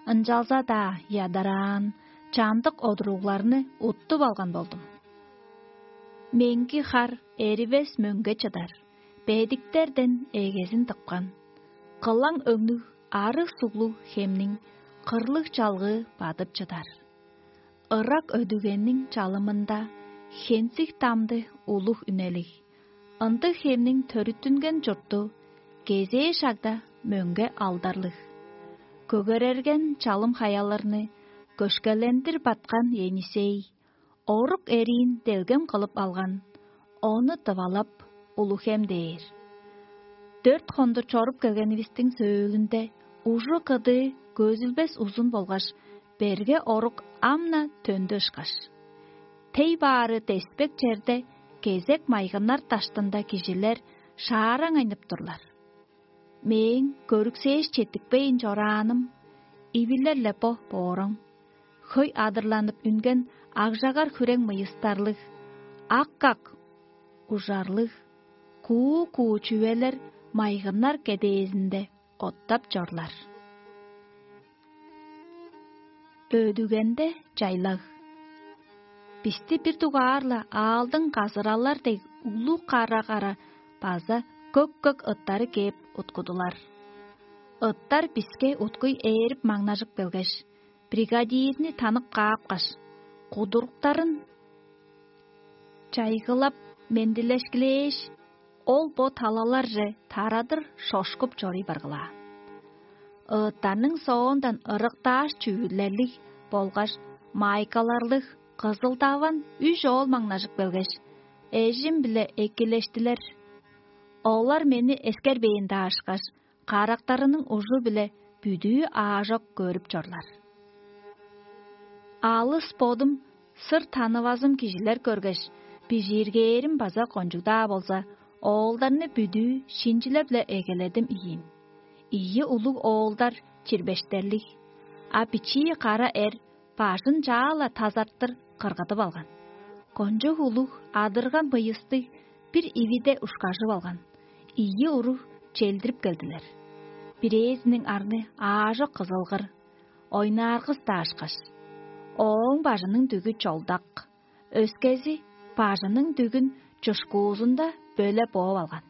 Ынчалза-даа ядараан, чамдык одуругларны уттуп алган болдум. Меңги хар эривес мөңге чыдар, бедиктерден эгезин тыпкан. Кылаң өңнүг арыг суглуг хемниң кырлыг чалгыы бадып чыдар. Ырак өдүгенниң чалымында хензиг дамды улуг үнелиг. Ындыг хемниң төрүттүнген чурту кезээ шагда мөңге алдарлыг. Көгерерген чалым хаяларны көшкелендир баткан Енисей, орук эриин делгем кылып алган, ону дывалап, улуг хем дээр. Дөрт хондур чоруп келгенивистиң сөөлүнде ужу-кыдыы көзүлбес узун болгаш берге орук ам-на төндү ышкаш. Тей баары деспек черде кезек майгыннар даштында кижилер шаараңайнып турлар. Мээң көрүксээш четтикпейн чорааным ивилер-ле бо бооруң. Хөй адырланып үнген акжагар хүрең мыйыстарлыг, ак-ак ужарлыг, куу-куу чүвелер майгыннар кедээзинде оттап чорлар. Өдүгенде чайлаг. Бисти бир дугаар-ла аалдың казыралар дег улуг кара-кара база көк-көк ыттары кээп уткудулар. Ыттар биске уткуй ээрип маңнажып келгеш, бригадирни танып каапкаш, кудуруктарын чайгылап, мендилешкилээш, ол бо талаларже тарадыр шошкуп чоруй баргылаан. ыыттарның соондан ырыктааш чүвүлерлиг болгаш майкаларлыг кызыл-даван үш оол маңнажып келгеш, эжим-биле экилештилер. Олар мени эскербээн-даа ышкаш, карактарының ужу-биле бүдүү аажок көрүп чорлар. Алыс бодум сыр танывазым кижилер көргеш, бижииргээрим база кончуг-даа болза, оолдарны бүдүү шинчилеп-ле эгеледим ийин. Ийи улуг оолдар чирбештерлиг, а бичии кара эр бажын чаа-ла тазартыр кыргыдып алган. Кончуг улуг адырган быйыстыг бир ивиде ушкажып алган. Ийи уруг челдирип келдилер. Бирээзиниң арны аажок кызылгыр, ойнааргыс даашкаш, ооң бажының дүгү чолдак, өскези бажының дүгүн чушкуузунда бөле бооп алган.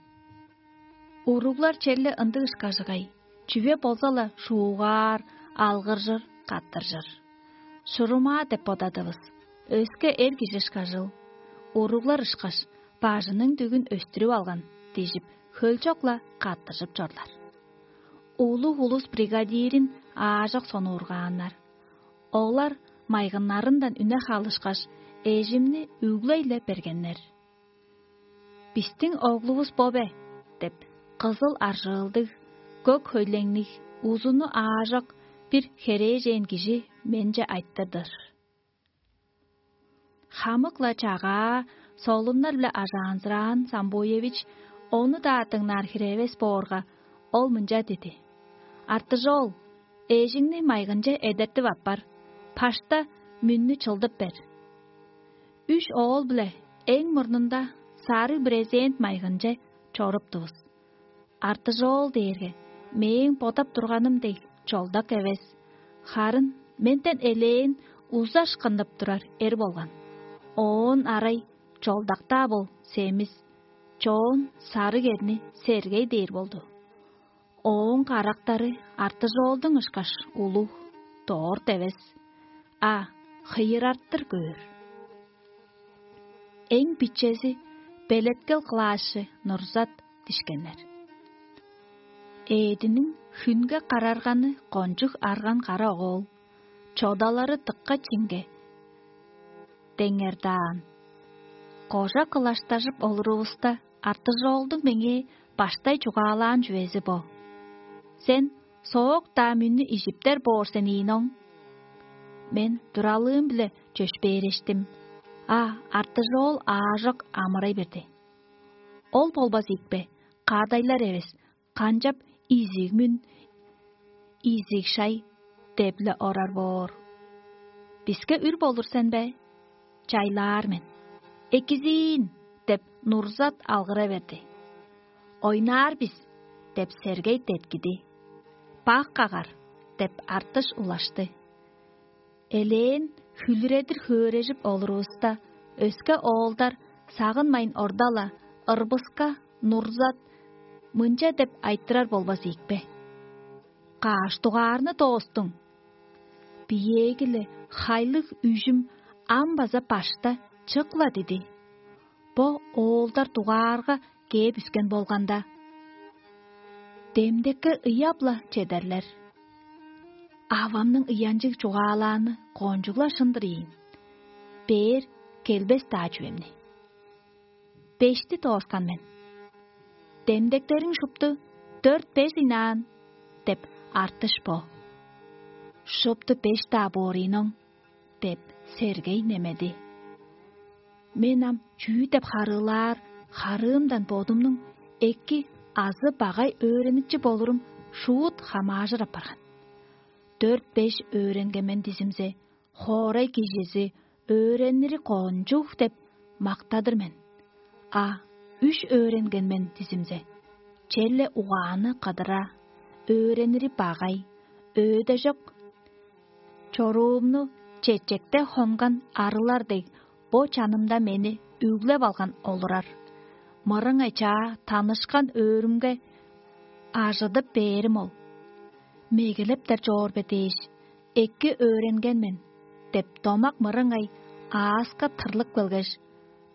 Уруглар черле ындыг ышкажыгай, чүве болза-ла шуугаар, алгыржыр, каттыржыр. Шурумаа деп бодадывыс, өске эр кижи ышкажыл. Уруглар ышкаш, бажының дүгүн өстүрүп алган, дижип, хөлчок-ла каттыжып чорлар. Улуг улус бригадирин аажок сонуургааннар. Олар майгыннарындан үне халышкаш, эжимни үглей-ле бергеннер. «Бистиң оглувус бо бе?» – деп, кызыл аржыылдыг, көк хөйлеңниг, узуну аажок бир херээжен кижи менче айтты-дыр. Хамык-ла чагаа, солуннар-биле ажаанзыраан Самбуевич ону-даа дыңнаар хире эвес боорга, ол мынча диди: «Артыжоол, эжиңни майгынче эдертип аппар, пашта мүннү чылдып бер». Үш оол-биле эң мурнунда сарыг брезент майгынче чоруптувус. Артыжоол дээрге мээң бодап турганым дег чолдак эвес, харын менден элээн узаш кындып турар эр болган. Оон арай чолдак-даа бол, семис, чоон сарыг эрни Сергей дээр болду. Ооң карактары Артыжоолдуң ышкаш улуг, дорт эвес, а хыйырартыр көөр. Эң бичези белеткел кылаашчы Нурзат дишкеннер. Ээдиниң хүнге карарганы кончуг арган кара оол, чодалары дыкка чинге деңердаан. Кожа кылаштажып олурувуста, Артыжоолдуң меңээ баштай чугаалаан чүвези бо: «Сен соок-даа мүннү ижиптер боор сен ийин оң». Мен туралыым-биле чөпшээрештим, а Артыжоол аажок амырай берди: «Ол болбас ийикпе, кадайлар эвес, канчап изиг мүн, изиг шай деп-ле орар боор? Биске үр болур сен бе? Чайлаар мен». «Экизиин!» – деп, Нурзат алгыра берди. «Ойнаар бис!» – деп, Сергей деткиди. «Бак кагар!» – деп, Артыш улашты. Элээн хүлүредир хөөрежип олурувуста, өске оолдар сагынмайн орда-ла ырбыска Нурзат мынча деп айтырар болбас ийикпе: «Каш дугаарны доостуң?» Биеэги-ле хайлыг үжүм ам база башта чык-ла диди. Бо оолдар дугаарга кээп үскен болганда, демдекке ыяп-ла чедерлер. Авамның ыянчыг чугаалааны кончуг-ла шын-дыр ийин. Бээр келбес-даа чүвемни. Бешти дооскан мен. «Демдектериң шупту дөрт-беш ыйнаан» – деп, Артыш бо. «Шупту беш-даа боор ийин оң» – деп, Сергей немеди. Мен ам чүү деп харыылаар, харыымдан бодумнуң эки азы багай өөреникчи болурум шуут хамаажыр апарган. Дөрт-беш өөренген мен дизимзе, хоорай кижизи: «Өөренири кончуг» – деп мактадыр мен. А үш өөренген мен дизимзе, черле угааны кыдыра, өөренири багай, өөде чок. Чоруумну чечекте хонган арылар дег, бо чанымда мени үглеп алган олурар. Мырыңай чаа танышкан өөрүмге ажыдып бээрим ол. Мегелептер чоор бе дээш, эки өөренген мен деп, домак мырыңай ааска тырлып келгеш,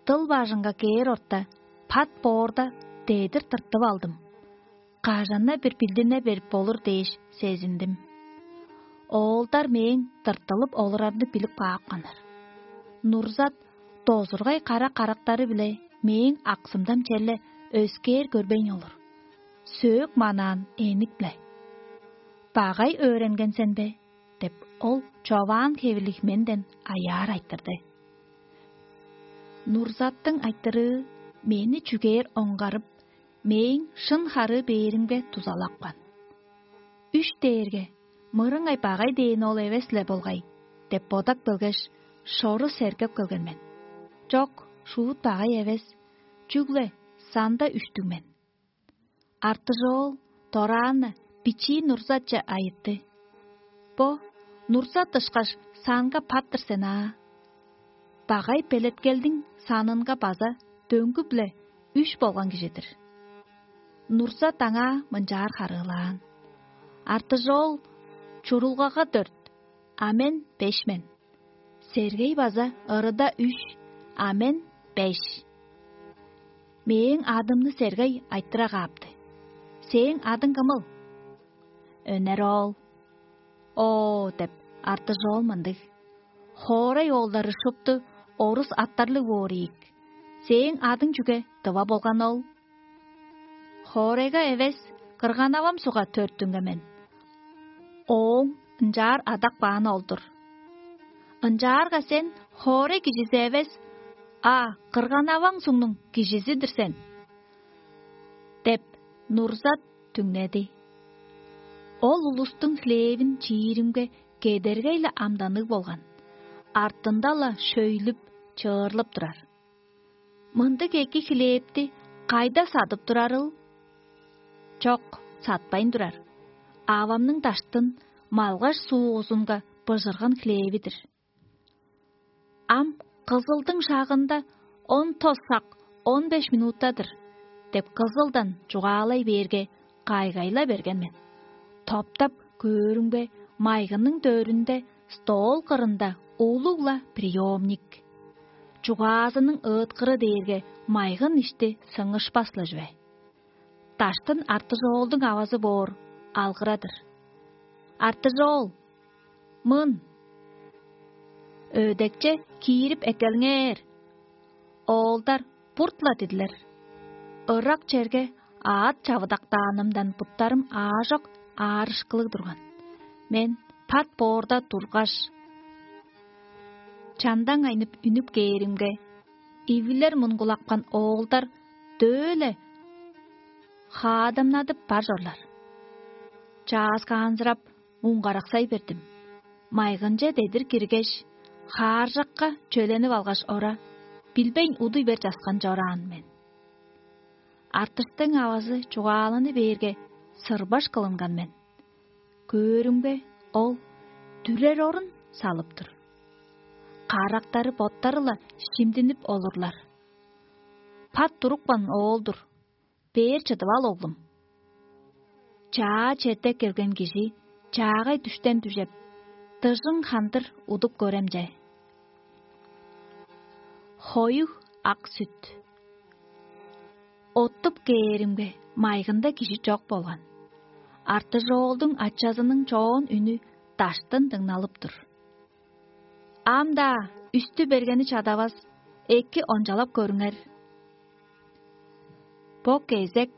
дыл бажыңга кээр орта, пат боорда дедир тыртып алдым. кажан-на бир билдине берип болур дээш сезиндим. Оолдар мээң тыртылып олурарны билип каапканнар. Нурзат дозургай кара карактары-биле мээң аксымдан черле өскээр көрбейн олур. Сөөк манаан энип-ле: «Багай өөренген сен бе?» — деп, ол човаан хевирлиг менден аяар айтырды. Нурзаттың айтырыы мени чүгээр оңгарып, мээң шын харыы бээримге дузалапкан. Үш дээрге мырыңай багай дээн ол эвес-ле болгай деп бодап келгеш, шору сергеп келген мен. Чок, шуут багай эвес, чүгле санда үштүг мен. Артыжоол дораан-на бичии Нурзатче айытты: «Бо Нурзат ышкаш санга пат-тыр сен аа. Багай белеткелдиң санынга база дөңгү-биле үш болган кижи-дир». Нурзат аңаа мынчаар харыылаан: «Артыжоол чурулгага дөрт, а мен беш мен. Сергей база ырыда үш, а мен беш». Мээң адымны Сергей айтыра каапты: «Сээң адың кымыл?» Өнер оол: «Оо» — деп, Артыжоол мындыг: «Хоорай оолдары шупту орус аттарлыг боор ийик. Сээң адың чүге, тыва болган ол?» «Хоорайга эвес, кырган-авам сугга төрүттүнген мен. Ооң ынчаар адап кааны ол-дур». «Ынчаарга сен хоорай кижизи эвес, а кырган-аваң сугнуң кижизи-дир сен» — деп, Нурзат түңнеди. Ол улустуң хлевин чииримге кедергей-ле амданныг болган, артында-ла шөйлүп, чыырлып турар. «Мындыг эки хлебти кайда садып турарыл?» «Чок, сатпайн турар. Авамның даштын малгаш суузунга быжырган хлеви-дир». «Ам Кызылдың шагында он тос сак он беш минута-дыр» — деп, Кызылдан чугаалай бээрге, кайгайла берген мен. Топтап көөрүмге, майгының дөрүнде стол кырында улуг-ла приёмник. Чугаазының ыыткыры дээрге майгын ишти сыңышпас-ла чүве. Даштын Артыжоолдуң авазы боор алгыра-дыр: «Артыжоол, мын! Өдекче киирип эккелиңер!» Оолдар бурт-ла дидилер. Ырак черге аът чавыдактаанымдан буттарым аажок аарышкылыг турган. Мен пат боорда тургаш, чандаң айнып үнүп кээримге, ивилер мунгулапкан оолдар дөө-ле хаадамнадып бар чорлар. Чааскаанзырап, муңгараксай бердим. Майгынче дедир киргеш, хааржакка чөленип алгаш ора, билбейн удуй бер часкан чораан мен. Артыштың авазы чугааланы бээрге, сырбаш кылынган мен. Көөрүмге, ол дүрер орун салып тур. Карактары боттары-ла шимдинип олурлар. Пат турупкан оол-дур. Бээр чыдып ал, оглум. Чаа черде келген кижи чаагай дүштен дүжеп, дыжың хандыр удуп көрем че. Хоюг ак сүт. Оттуп кээримге, майгында кижи чок болган. Артыжоолдуң ачазының чоон үнү даштын дыңналып тур. Ам-даа үстү бергени чадавас, эки ончалап көрүңер. Бо кезек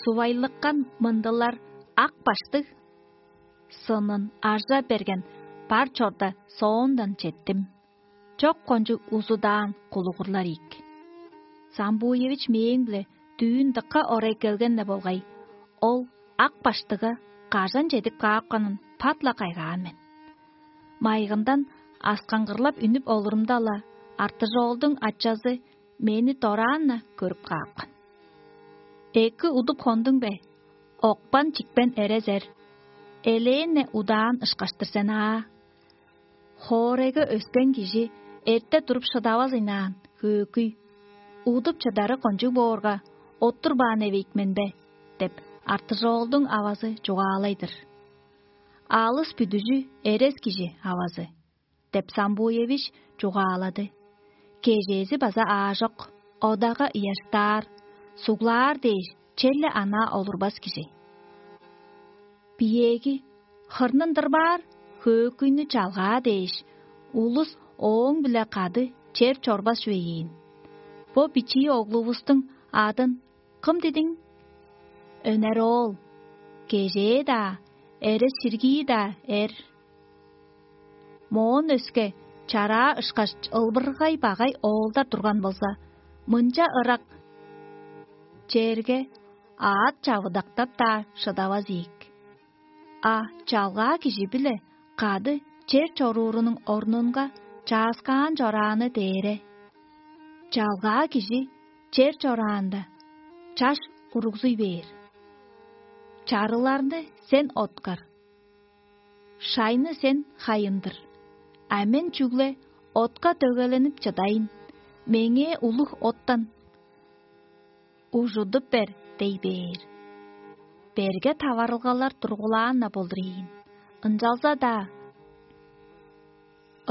сувайлыккан мындылар ак баштыг сынын ажа берген бар чорда соондан четтим. Чок кончуг узудаан кулугурлар ийик. Самбуевич мээң-биле дүүн дыка орай келген-не болгай, ол ак баштыга кажан чедип каапканын пат-ла кайгаан мен. Майгындан аскаңгырлап үнүп олурумда-ла, Артыжоолдуң ачазы мени дораан-на көрүп каапкан. «Эки удуп хондуң бе? Окпан-чикпен эрезер, элээн-не удаан ышкаш-тыр сен аа. Хоорайга өскен кижи эрте туруп шыдавас ыйнаан, хөөкүй. Удуп чыдары кончуг боорга, оттурбаан эвейик мен бе?» — деп, Артыжоолдуң авазы чугаалай-дыр. «Алыс бүдүжү эрес кижи авазы» — деп, Самбуевич чугаалады. Кежээзи база аажок, одага ыяштаар, суглаар дээш, черле анаа олурбас кижи. Биеэги хырнын дырбаар хөөкүйнү чалгаа дээш, улус ооң-биле кады чер чорбас чүве ийин. Бо бичии оглувустуң адын кым дидиң? Өнер оол, кежээ-даа, эрес-ширгии-даа эр. Моон өске чараа ышкаш ылбыргай багай оолдар турган болза, мынча ырак черге аът чавыдактап-даа шыдавас ийик. А чалгаа кижи-биле кады чер чоруурунуң орнунга чааскаан чорааны дээре. Чалгаа кижи чер чораанда, чаш уругзуй бээр. Чарыларны сен откар, шайны сен хайындыр, а мен чүгле отка дөгеленип чыдайын, меңээ улуг оттан ужудуп бер дей бээр. Берге таварылгалар тургулаан-на болур ийин, ынчалза-даа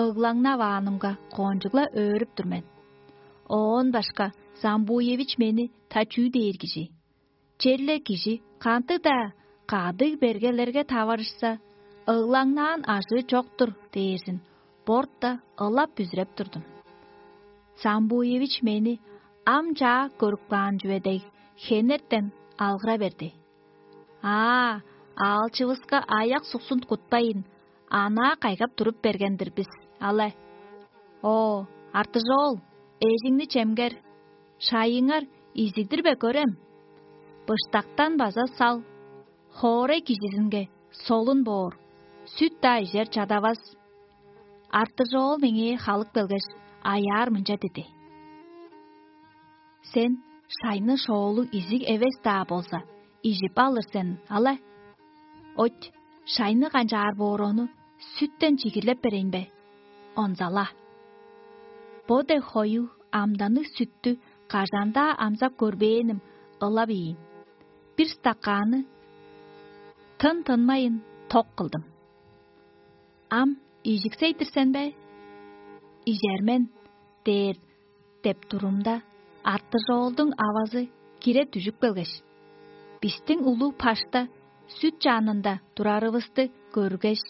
ыглаңнаваанымга коончугла өөрүп тур мен. Оон башка Самбуевич мени та чүү дээр кижи? Черле кижи кандыг-даа кадыг бергелерге таварышса, ыглаңнаан ажыы чок-тур дээрзин борта ылап бүзүреп турдум. Самбуевич мени ам чаа көрүп каан чүве дег, хенертен алгыра берди: «Аа, аалчывыска аяк-суксун кутпайн, анаа кайгап туруп берген-дир бис, але. О, Артыжоол, эжиңни чемгер, шайыңар изидир бе көрем? Быштактан база сал, хоорай кижизинге солун боор, сүт-даа ижер чадавас». Артыжоол меңээ халып келгеш, аяар мынча диди: «Сен шайны шоолуг изиг эвес-даа болза, ижип алыр сен, але. Оть, шайны канчаар боор, ону сүттен чигирлеп берейн бе? Онзала. Бо дег хоюг амданныг сүттү кажан-даа амзап көрбээним ылап ийин. Бир стаканны тын-тынмайын ток кылдым. Ам ижиксей-дир сен бе?» «Ижер мен» – дээр деп турумда, Артыжоолдуң авазы кире дүжүп келгеш, бистиң улуг пашта сүт чанында турарывысты көргеш,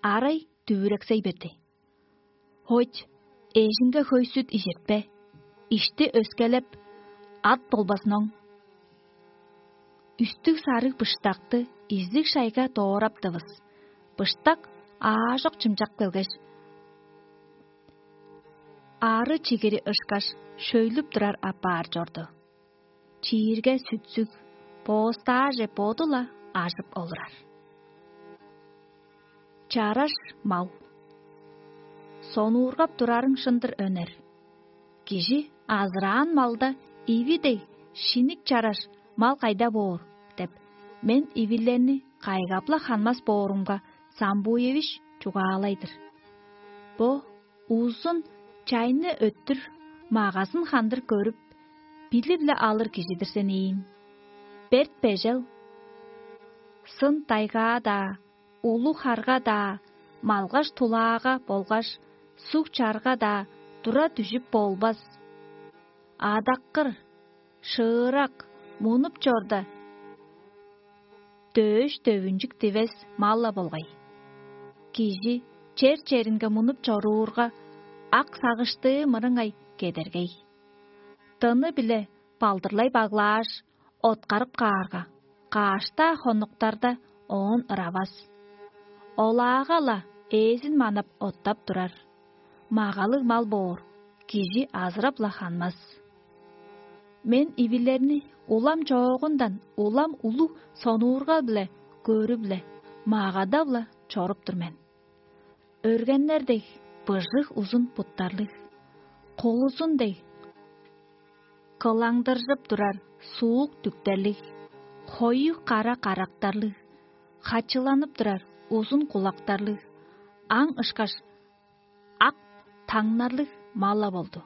арай дүвүрексей берди: «Хойт, эжиңге хөй сүт ижиртпе, ишти өскелеп, ат болбазын оң». Үстүг сарыг быштакты изиг шайга доораптывыс. Быштак аажок чымчак келгеш, ары чигири ышкаш шөйлүп турар апаар чорду. Чиирге сүтсүг, боостааже боду-ла ажып олурар. Чараш мал. Сонуургап турарың шын-дыр, Өнер. Кижи азыраан малда иви дег шиник чараш мал кайда боор деп, мен ивилерни кайгап-ла ханмас боорумга, Самбуевич чугаалай-дыр. Бо узун чайны өттүр магазын хандыр көрүп, билип-ле алыр кижи-дир сен ийин. Берт-бежел, сын тайгаа-даа, улуг харга-даа, малгаш тулаага болгаш суг чарга-даа тура дүжүп болбас. Адаккыр, шыырак, мунуп чорда, дөөш-дөвүнчүк дивес мал-ла болгай. Кижи чер-черинге мунуп чоруурга, ак сагыштыы мырыңай кедергей. Дыны-биле балдырлай баглааш, откарып каарга, каш-даа хонуктарда оон ыравас. Олаага-ла ээзин манап оттап турар. Магалыг мал боор, кижи азырап-ла ханмас. Мен ивилерни улам чоогундан улам улуг сонуурга-биле көрүп-ле, магадап-ла чоруп тур мен. Өргеннер дег быжыг узун буттарлыг, кулузун дег кылаңдыржып турар суук дүктерлиг, хоюг кара карактарлыг, хачыланып турар узун кулактарлыг, аң ышкаш ак таңнарлыг мал-ла болду.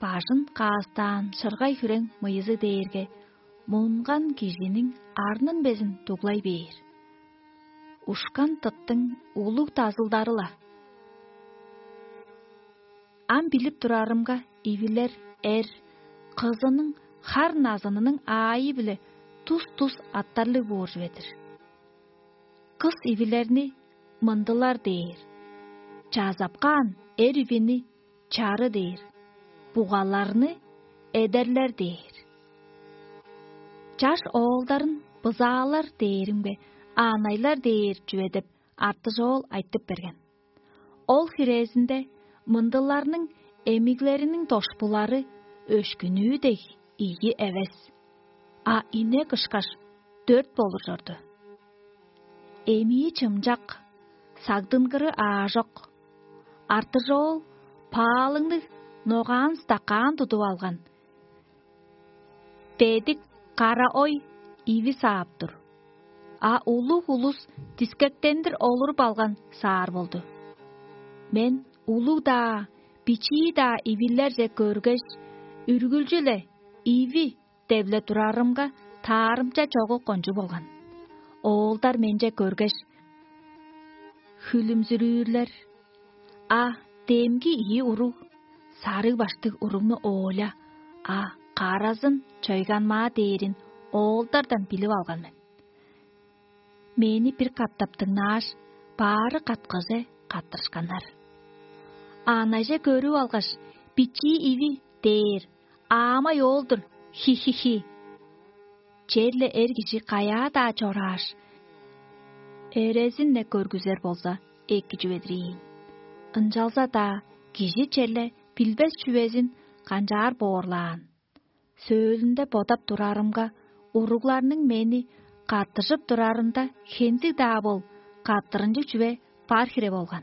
Бажын каастаан шыргай-хүрең мыйызы дээрге мунган кижиниң арнын безин дуглай бээр. Ушкан тыттың улуг дазылдары-ла. Ам билип турарымга, ивилер эр, кызының хар назынының аайы-биле тус-тус аттарлыг боор чүве-дир. Кыс ивилерни мындылар дээр, чаазапкаан эр ивини чары дээр, бугаларны эдерлер дээр. Чаш оолдарын бызаалар дээримге, аанайлар дээр чүве деп артыжоол айтып берген. Ол хирээзинде мындыларның эмиглериниң дошпулары өшкүнүү дег ийи эвес, а инек ышкаш дөрт болур чорду. Эмии чымчак, сагдынгыры аажок. Артыжоол паалыңныг ногаан стакаан тудуп алган, бедик кара ой иви саап тур, а улуг улус дискектендир олуруп алган саар болду. Мен улуг-даа, бичии-даа ивилерже көргеш, үргүлчү-ле иви деп-ле турарымга, таарымча чогу кончуг болган. Оолдар менче көргеш, хүлүмзүрүүрлер. А демги ийи уруг, сарыг баштыг уругну оолча, а каразын чойганмаа дээрин оолдардан билип алган мен. Мени бир катап дыңнааш, баары каткыже каттырышканнар. Аанайже көрүп алгаш, бичии иви дээр, аамай оол-дур, хи-хи-хи. Черле эр кижи каяа-даа чорааш, эрезин-не көргүзер болза, эки чүве-дир ийин. Ынчалза-даа кижи черле билбес чүвезин канчаар боорлаан. Сөөлүнде бодап турарымга, уругларның мени каттыжып турарында хензиг-даа бол каттырынчыг чүве бар хире болган.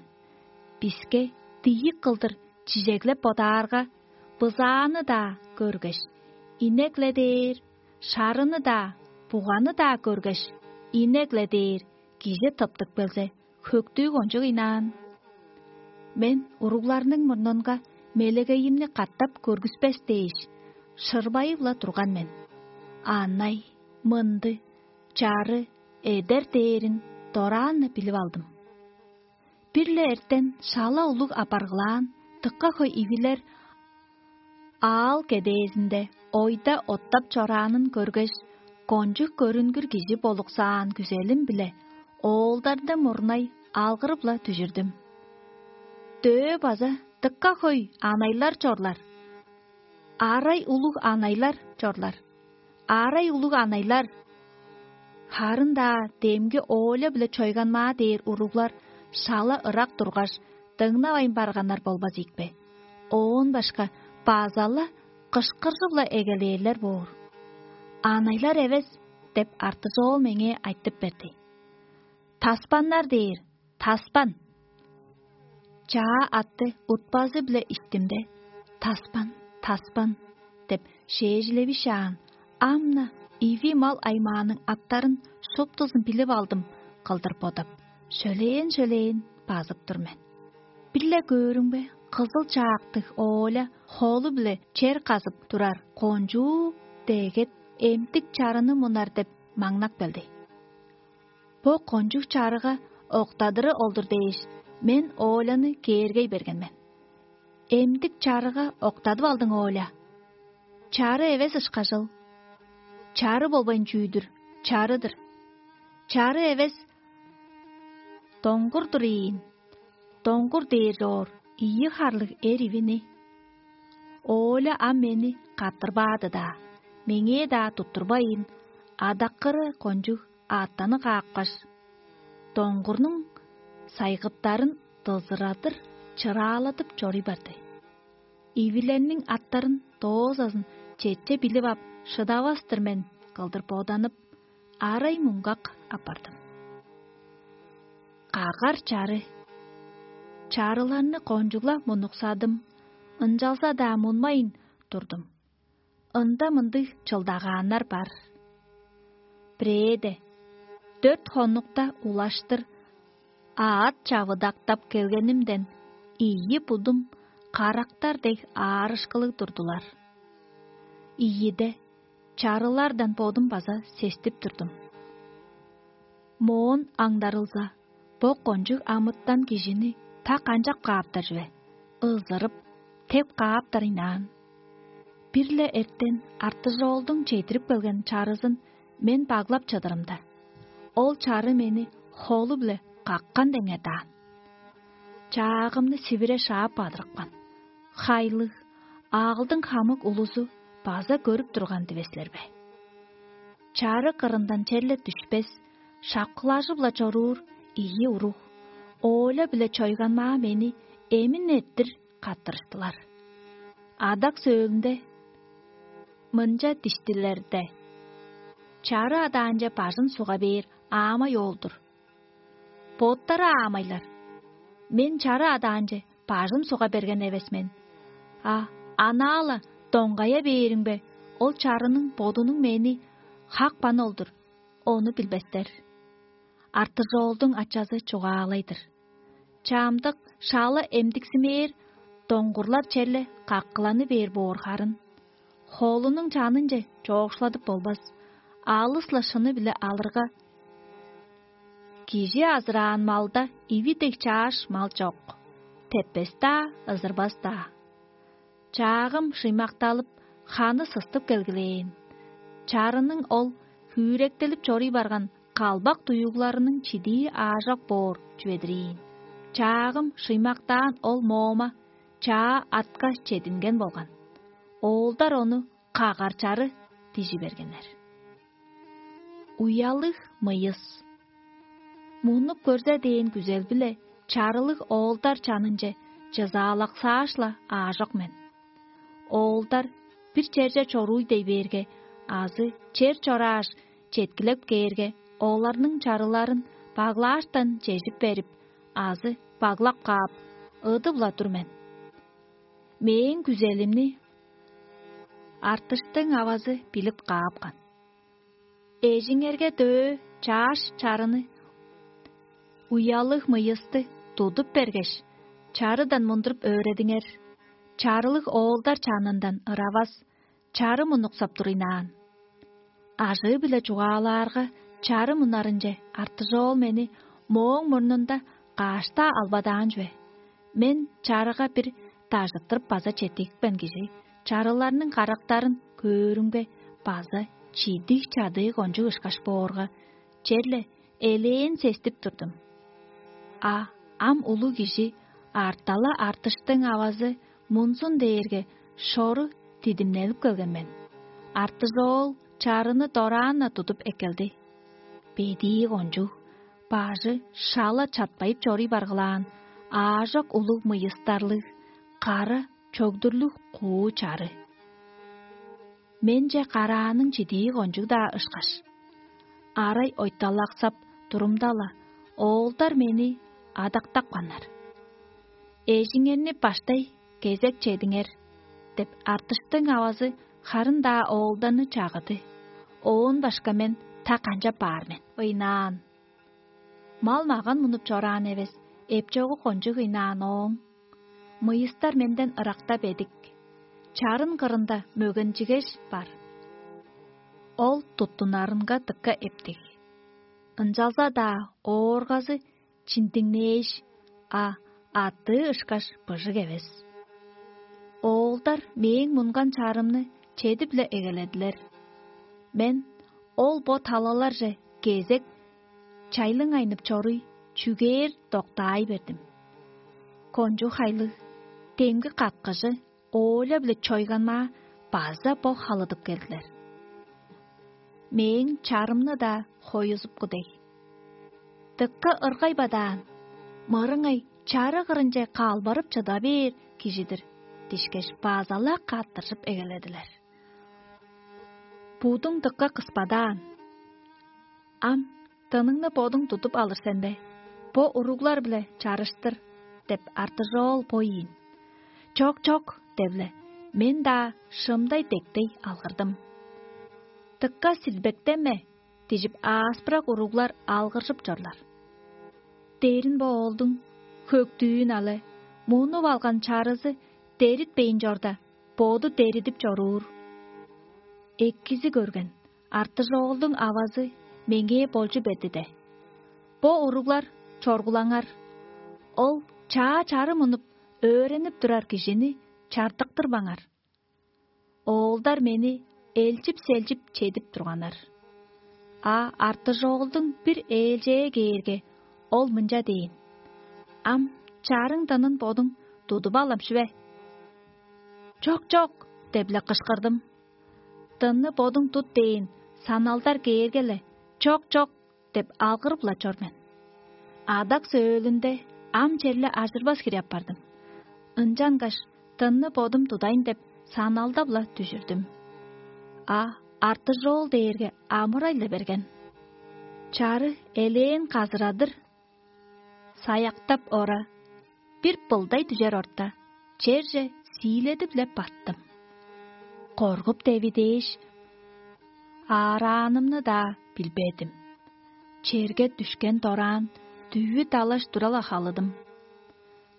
Биске дийик кылдыр чижеглеп бодаарга, бызааны-даа көргеш, инек-ле дээр, шарыны-даа, буганы-даа көргеш, инек-ле дээр кижи тыптып келзе, хөктүү кончуг ыйнаан. Мен уругларның мурнунга мелегейимни катап көргүспес дээш, шырбайып-ла турган мен. Аанай, мынды, чары, эдер дээрин дораан-на билип алдым. Бир-ле эртен шала улуг апаргылаан, дыка хөй ивилер аал кедээзинде ойда оттап чораанын көргеш, кончуг көрүнгүр кижи болуксаан күзелим-биле оолдарны мурнай алгырып-ла дүжүрдүм. Дөө база дыка хөй анайлар чорлар, арай улуг анайлар чорлар, арай улуг анайлар. Харын-даа демги оолча-биле чойганмаа дээр уруглар шала ырак тургаш, дыңнавайн барганнар болбас ийикпе? Оон башка база-ла кышкыржып-ла эгелээрлер боор. «Анайлар эвес» – деп артызоол меңээ айтып берди. «Таспаннар» – дээр, таспан. Чаа атты утпазы-биле иштимде: «Таспан, таспан» – деп шээжилевишаан, ам-на иви мал аймааның аттарын шуптузун билип алдым кылдыр бодап, шөлээн-шөлээн базып тур мен. Бир-ле көөрүмге, кызыл чаактыг оолча холу-биле чер казып турар кончуг дегет эмтик чарыны мунар деп маңнап келди. Бо кончуг чарыга октадыры ол-дур дээш, мен оолчаны кээргей берген мен. «Эмдик чарыга октадып алдың, оолча. Чары эвес ышкажыл. Чары болбайн чүү-дүр, чарыдыр. Чары эвес, доңгур-дур ийин. Доңгур дээр чоор ийи харлыг эр ивини». Оолча ам мени каттырбаады-даа, меңээ-даа туттурбайн, адаккыры кончуг аъттаны каапкаш, доңгурнуң сайгыптарын дызырадыр чырааладып чоруй барды. Ивилерниң аттарын доозазын четче билип ап, шыдавас-тыр мен кылдыр боданып, арай муңгак апардым. Кагар чары. Чарыларны кончуг-ла мунуксадым, ынчалза-даа мунмайн турдум. Ында мындыг чылдагааннар бар. Бирээде, дөрт хонукта улаштыр аът чавыдактап келгенимден, ийи будум карактар дег аарышкылыг турдулар. Ийиде, чарылардан бодум база сестип турдум. Моон аңдарылза, бо кончуг амытан кижини та канчап кааптар чүве? Ызырып, теп кааптар ыйнаан. Бир-ле эртен артыжоолдуң чедирип келген чарызын мен баглап чыдырымда, ол чары мени холу-биле каккан деңедаан. Чаагымны сивире шаап бадырыпкан. Хайлыг, аалдың хамык улузу база көрүп турган дивес силер бе? Чары кырындан черле дүшпес, шапкылажы-биле чоруур ийи уруг, Оля биле Чойганмаа мени эмин эрттир каттырыштылар. Адак сөөлүнде мынча диштилерде: «Чары адаанче бажын суга бээр аамай оол-дур. Боттары аамайлар. Мен чары адаанче бажын суга берген эвес мен. А анаа-ла доңгая бээримге, ол чарының бодунуң мени хакпан ол-дур, ону билбестер». Артыжоолдуң ачазы чугаалай-дыр: «Чамдык шала эмдиксимээр доңгурлар черле каккыланы бээр боор харын. Холунуң чанынче чоокшуладып болбас, алыс-ла шыны-биле алырга, кижи азыраан малда иви дег чааш мал чок, теппес-даа, ызырбас-даа». Чаагым шыймакталып, ханы сыстып келгилээн. Чарының ол хүректелип чоруй барган калбак дуюгларының чидии аажок боор чүве-дир ийин. Чаагым шыймактаан ол моома чаа атка чединген болган. Оолдар ону кагар чары дижи бергеннер. Уялыг мыйыс. Мунуп көрзе дээн күзел-биле чарылыг оолдар чанынче чызаалаксааш-ла аажок мен. Оолдар бир черже чорууй дей бээрге азы чер чорааш, четкилеп кээрге, оларның чарыларын баглааштан чежип берип азы баглап каап, ыдып-ла тур мен. Мээң күзелимни артыштың авазы билип каапкан. Эжиңерге дөө чааш чарыны, уялыг мыйысты тудуп бергеш, чарыдан мундуруп өөредиңер. Чарылыг оолдар чанындан ыравас, чары мунуксап туруйнаан. Ажыы-биле чугаалаарга, чары мунарынче артыжоол мени мооң мурнунда кааш-даа албадаан чүве. Мен чарыга бир дажыттырып база четтигипкен кижи чарыларның карактарын көөрүмге, база чидиг-чадыы кончуг ышкаш боорга, черле элээн сестип турдум. А ам улуг кижи, артала артыштың авазы мунзун дээрге, шору дидимнелип келген мен. Артыжоол чарыны дораан-на тудуп эккелди. Бедии кончуг, бажы шала чатпайып чоруй баргылаан, аажок улуг мыйыстарлыг, кара чогдурлуг куу чары. Менче карааның чидии кончуг-даа ышкаш. Арай ойталаксап турумда-ла, оолдар мени адактапканнар. «Эжиңерни баштай кезек чедиңер» — деп, артыштың авазы харын-даа оолдарны чагыды. Оон башка мен та канчап баар мен? Ыйнаан. Мал-маган мунуп чораан эвес, эпчогу кончуг ыйнаан ооң. Мыйыстар менден ыракта бедик. Чарын кырында мөгенчигеш бар. Ол туттунарынга дыка эптиг. Ынчалза-даа ооргазы чиндиңнээш, а аттыы ышкаш быжыг эвес. Оолдар мээң мунган чарымны чедип-ле эгеледилер. Мен ол бо талаларже кезек чайлыңайнып чоруй, чүгээр доктаай бердим. Кончуг хайлыг, демги каткыжы Оля биле Чойганмаа база бо халыдып келдилер. Мээң чарымны-даа хоюзупку дег. Дыка ыргай бадаан, мырыңай чары кырынче калбарып чыда бээр кижи-дир дишкеш, база-ла кааттыржып эгеледилер. Будуң дыка кыспадаан. Ам дыныңны бодуң тудуп алыр сен бе? Бо уруглар-биле чарыштыр деп, артыжоол бо ийин. Чок, чок, девле, мен-даа шымдай дектей алгырдым. Дыка силбектенме, дижип, ааспырак уруглар алгыржып чорлар. Дээрин бо оолдуң хөктүүн але, мунуп алган чарызы деритпейн чорда, боду деридип чоруур. Эккизи көрген, артыжоолдуң авазы меңээ болчу берди де: «Бо уруглар, чоргулаңар. Ол чаа чары мунуп, өөренип турар кижини чартыктырбаңар». Оолдар мени элчип-селчип чедип турганнар. А артыжоолдуң бир ээлчээ кээрге, ол мынча дээн: «Ам чарың дынын бодуң тудуп алам чүве?» «Чок, чок!» – деп-ле кышкырдым. «Дынны бодуң тут» – дээн саналдар кээрге-ле: «Чок, чок!» – деп алгырып-ла чор мен. Адак-сөөлүнде ам черле ажырбас хире апардым. Ынчангаш дынны бодум тудайн деп саналдап-ла дүжүрдүм. А артыжоол дээрге амырай-ла берген. Чары элээн казырадыр, саяктап ора, бир былдай дүжер орта, черже сииледип-ле баттым. Коргуп деви дээш, аараанымны-даа билбедим. Черге дүшкен дораан дүвү далаш тура-ла халыдым.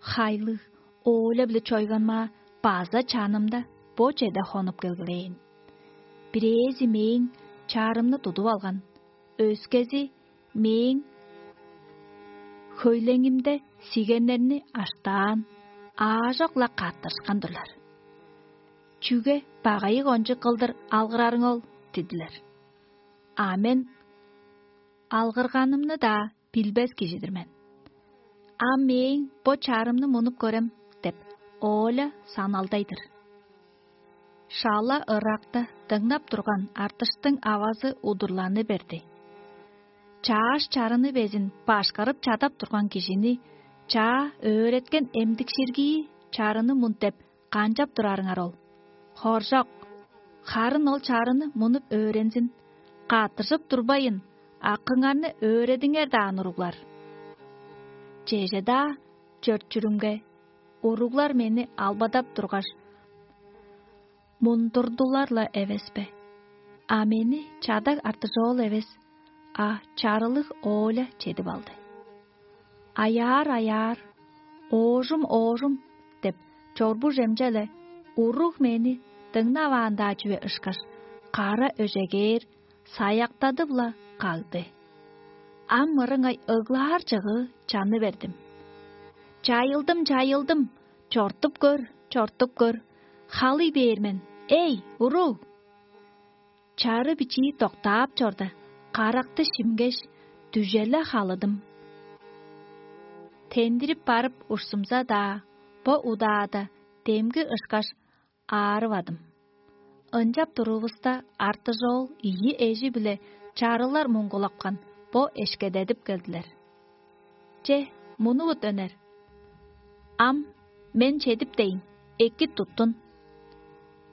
Хайлыг, ооле-биле чойганмаа база чанымда бо чеде хонуп келгилээн. Бирээзи мээң чарымны тудуп алган, өскези мээң хөйлеңимде сигеннерни аштаан, аажок-ла каттышкан турлар. «Чүге багайы кончуг кылдыр алгырарың ол?» – дидилер. А мен алгырганымны-даа билбес кижи-дир мен. «Ам мээң бо чарымны мунуп көрем» – деп, ооле саналдай-дыр. Шала ыракта дыңнап турган артыштың авазы удурланы берди. Чааш чарыны безин башкарып чадап турган кижини чаа өөреткен эмдикширгии чарыны мун деп канчап турарыңар ол? Хоржок, харын ол чарыны мунуп өөрензин, каттыжып турбайын, акыңарны өөредиңер даан, уруглар. Чеже-даа чөрт-чүрүмге, уруглар мени албадап тургаш, мундурдулар-ла эвес бе? А мени чадаг артыжоол эвес, а чарылыг ооле чедип алды. «Аяар-аяар, оожум-оожум» – деп чорбу чемче-ле, уруг мени дыңнаваан-даа чүве ышкаш, кара өжегээр, саяктадып-ла кагды. Ам мырыңай ыглаар чыгыы чаны бердим. «Чайылдым, чайылдым! Чортуп көр, чортуп көр! Халый бээр мен, эй, уруг!» Чары бичии доктаап чорда, каракты шимгеш, дүже-ле халыдым. Тендирип барып ушсумза-даа, бо удаада демги ышкаш аарывадым. Ынчап турувуста, артыжоол ийи эжи-биле чарылар муңгулапкан бо эшкедедип келдилер. «Че, мунувут, өнер. Ам мен чедип дейн, эки туттун».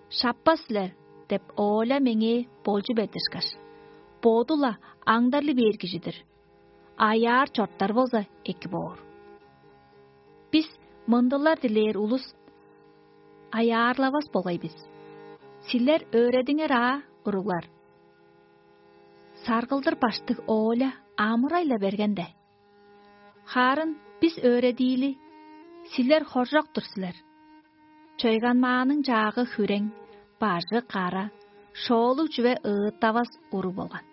«Шаппас силер» – деп, ооле меңээ болчу бердишкеш, боду-ла аңдарлы бээр кижи-дир. Аяар чорттар болза, эки боор. Бис мындылар дилээр улус аяарлавас болгай бис. Силер өөредиңер аа, уруглар. Саргылдыр баштыг ооле амырай-ла берген-де. Хаарын бис өөредиили, силер хоржок-тур силер. Чойганмааның чаагы хүрең, бажы кара, шоолуг чүве ыыттавас уруг болган.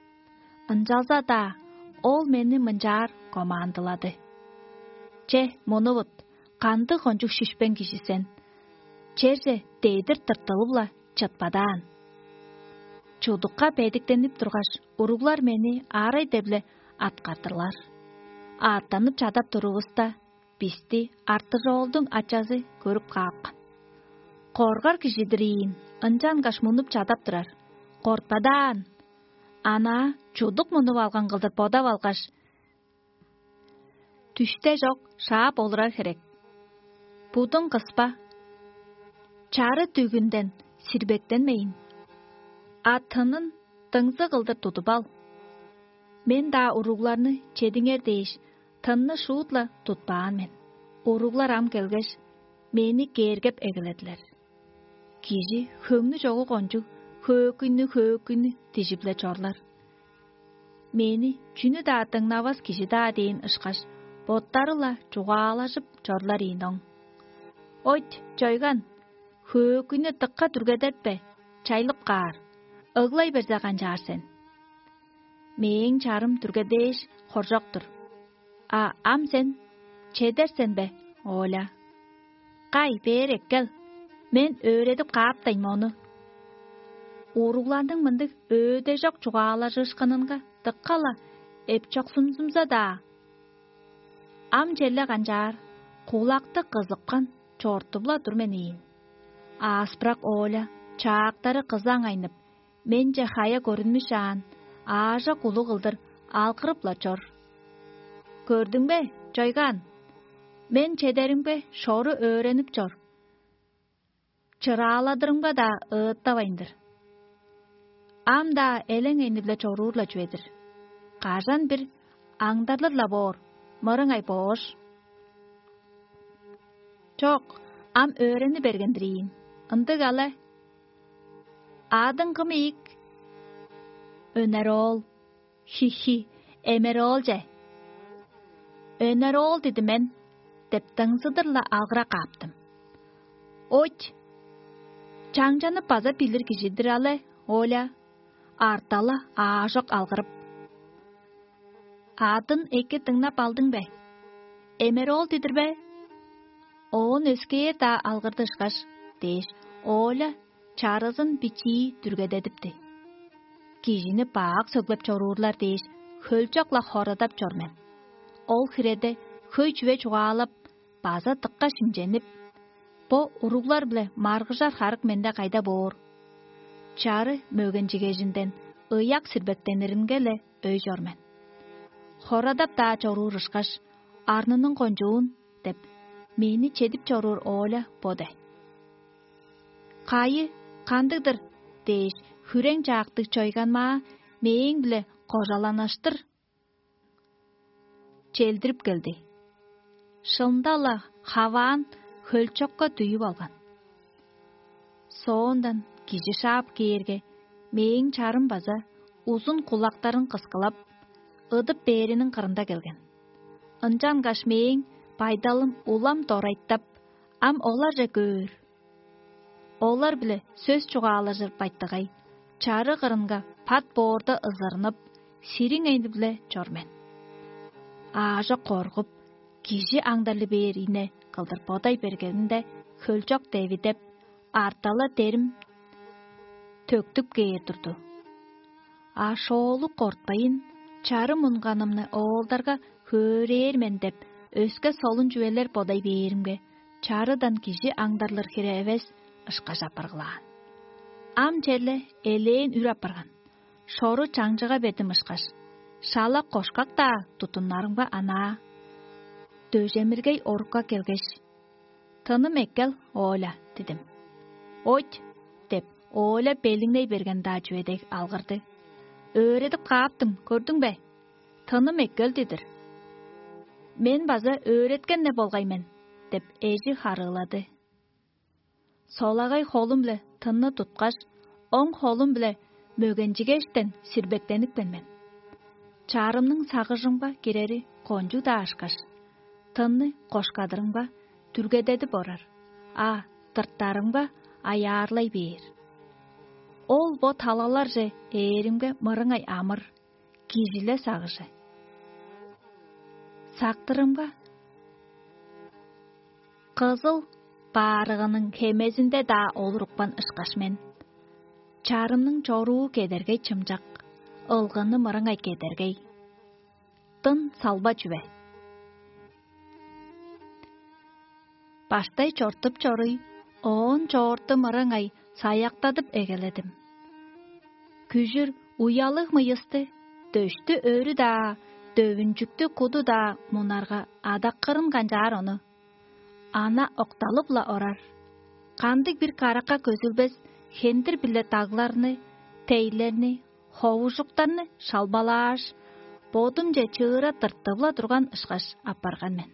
Ынчалза-даа ол мени мынчаар командылады: «Че, мунувут, кандыг кончуг шишпең кижи сен! Черже дедир тыртылып-ла чытпадаан». Чудукка бедиктенип тургаш, уруглар мени аарай-дебле аткардырлар. Аъттанып чадап турувуста, бисти артыжоолдуң ачазы көрүп каапкан. Коргар кижи-дир ийин, ынчангаш мунуп чадап турар. Кортпадаан, анаа чудук мунуп алган кылдыр бодап алгаш, дүште чок шаап олурар херек. Будун кыспа, чары дүгүнден сирбектенмейн, а тынын дыңзы кылдыр тудуп ал. Мен-даа уругларны чедиңер дээш, тынны шуут-ла тутпаан мен. Уруглар ам келгеш, мени кээргеп эгеледилер. Кижи хөңнү чогу кончуг хөөкүйнү-хөөкүйнү дижип-ле чорлар. Мени чүнү-даа дыңнавас кижи-даа дээн ышкаш, боттары-ла чугаалажып чорлар ийин оң. «Ойт, чойган, хөөкүйнү дыка дүргедетпе, чайлып каар, ыглай берзе канчаар сен? Мээң чарым дүргедээш хоржок-тур. А ам сен чедер сен бе, Оля? Кай, бээр эккел, мен өөредип кааптайн мону». Уругларның мындыг өөде чок чугаалажыышкынынга дыка-ла эпчоксунзумза-даа, ам черле канчаар, кулакты кызыпкан чортуп-ла тур мен ийин. Ааспырак Оля чаактары кызаң айнып, менче хая көрүнмүшаан, аажок улуг кылдыр алгырып-ла чор. «Көрдүң бе, чойгаан? Мен чедеримге шору өөренип чор. Чырааладырымга-даа ыыттавайн-дыр. Ам-даа элең эни-биле чоруур-ла чүве-дир. Кажан-бир аңдарлыр-ла боор, мырыңай боош». «Чок, ам өөрени берген-дир ийин. Ындыг але. Адың кым ийик?» «Өнер оол». «Хи-хи, эмер оол че». «Өнер оол диди мен» деп, дыңзыдыр-ла алгыра кааптым. «Ойт, чаңчанып база билир кижи-дир але, Оля». Артала аажок алгырып: «Адын эки дыңнап алдың бе? Эмер оол дидир бе?» Оон өскээр-даа алгырды ышкаш, дээш, Оля чарызын бичии дүргедедипти. Кижини бак сөглеп чоруурлар дээш, хөлчок-ла хорадап чор мен. Ол хиреде хөй чүве чугаалап, база дыкка шимченип, бо уруглар-биле маргыжар харык менде кайда боор? Чары мөгенчигежинден ыяк сирбектениринге-ле өй чор мен. Хорадап-даа чоруур ышкаш, арнының кончуун деп, мени чедип чоруур Оля бо де. «Кайы, кандыг-дыр?» дээш, хүрең чаактыг чойганмаа мээң-биле кожаланаштыр челдирип келди. Шында-ла хаваан хөлчокка дүйүп алган. Соондан кижи шаап кээрге, мээң чарым база узун кулактарын кыскылап, ыдып бээриниң кырында келген. Ынчангаш мээң байдалым улам дорайтап, ам оларже көөр. Олар-биле сөс чугаалажыр байтыгай, чары кырынга пат боорда ызырынып, сириң эни-биле чор мен. Аажок коргуп, кижи аңдарлы бээр ийне кылдыр бодай бергенинде, хөлчок девидеп, артала дерим төктүп кээр турду. А шоолуг кортпайн, чарым унганымны оолдарга хөөрээр мен деп, өске солун чүвелер бодай бээримге, чарыдан кижи аңдарлыр хире эвес ышкаш апаргылаан. Ам черле элээн үр апарган. Шору чаңчыга бердим ышкаш, шала кошкак-даа тудуннарымга анаа дөжемиргей орукка келгеш: «Тыным эккел, Оля» — дидим. «Ойт» — деп, Оля белиңней берген-даа чүве дег алгырды. «Өөредип кааптым, көрдүң бе? Тыным эккел дидир». «Мен база өөреткен-не болгай мен» — деп, эжи харыылады. Солагай холум-биле тынны туткаш, оң холум-биле мөгенчигештен сирбектенипкен мен. Чарымның сагыжымга кирери кончуг-даа ышкаш, тынны кошкадырымга дүргедедип орар, а тырттарымга аяарлай бээр. Ол бо талаларже ээримге мырыңай амыр, кижиле сагыжы. Сактырымга кызыл баарыгының хемезинде-даа олурупкан ышкаш мен. Чарымның чоруу кедергей чымчак, ылгыны мырыңай кедергей. Дын салба чүве. Баштай чортуп чоруй, оон чоорту мырыңай саяктадып эгеледим. Күжүр уялыг мыйысты, дөштү өрү-даа, дөвүнчүктү куду-даа мунарга адаккырын канчаар ону. Ана окталып-ла орар. Кандыг-бир каракка көзүлбес хендир-биле дагларны, тейлерни, ховужуктарны шалбалааш, бодумче чыыра тыртып-ла турган ышкаш апарган мен.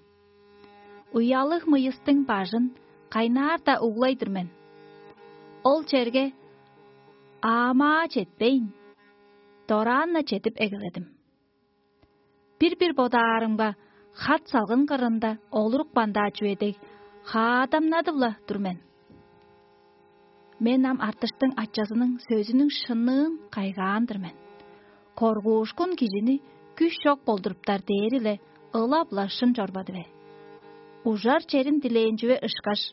Уялыг мыйыстың бажын кайнаар-даа углай-дыр мен. Ол черге аамаа четпейн, дораан-на чедип эгеледим. Бир-бир бодаарымга, хат салгын кырында олурупкан-даа чүве дег, хаадамнадып-ла тур мен. Мен ам артыштың ачазының сөзүнүң шынныын кайгаан-дыр мен. Коргуушкун кижини күш чок болдуруптар дээри-ле ылап-ла шын чорбады бе? Ужар черин дилээн чүве ышкаш,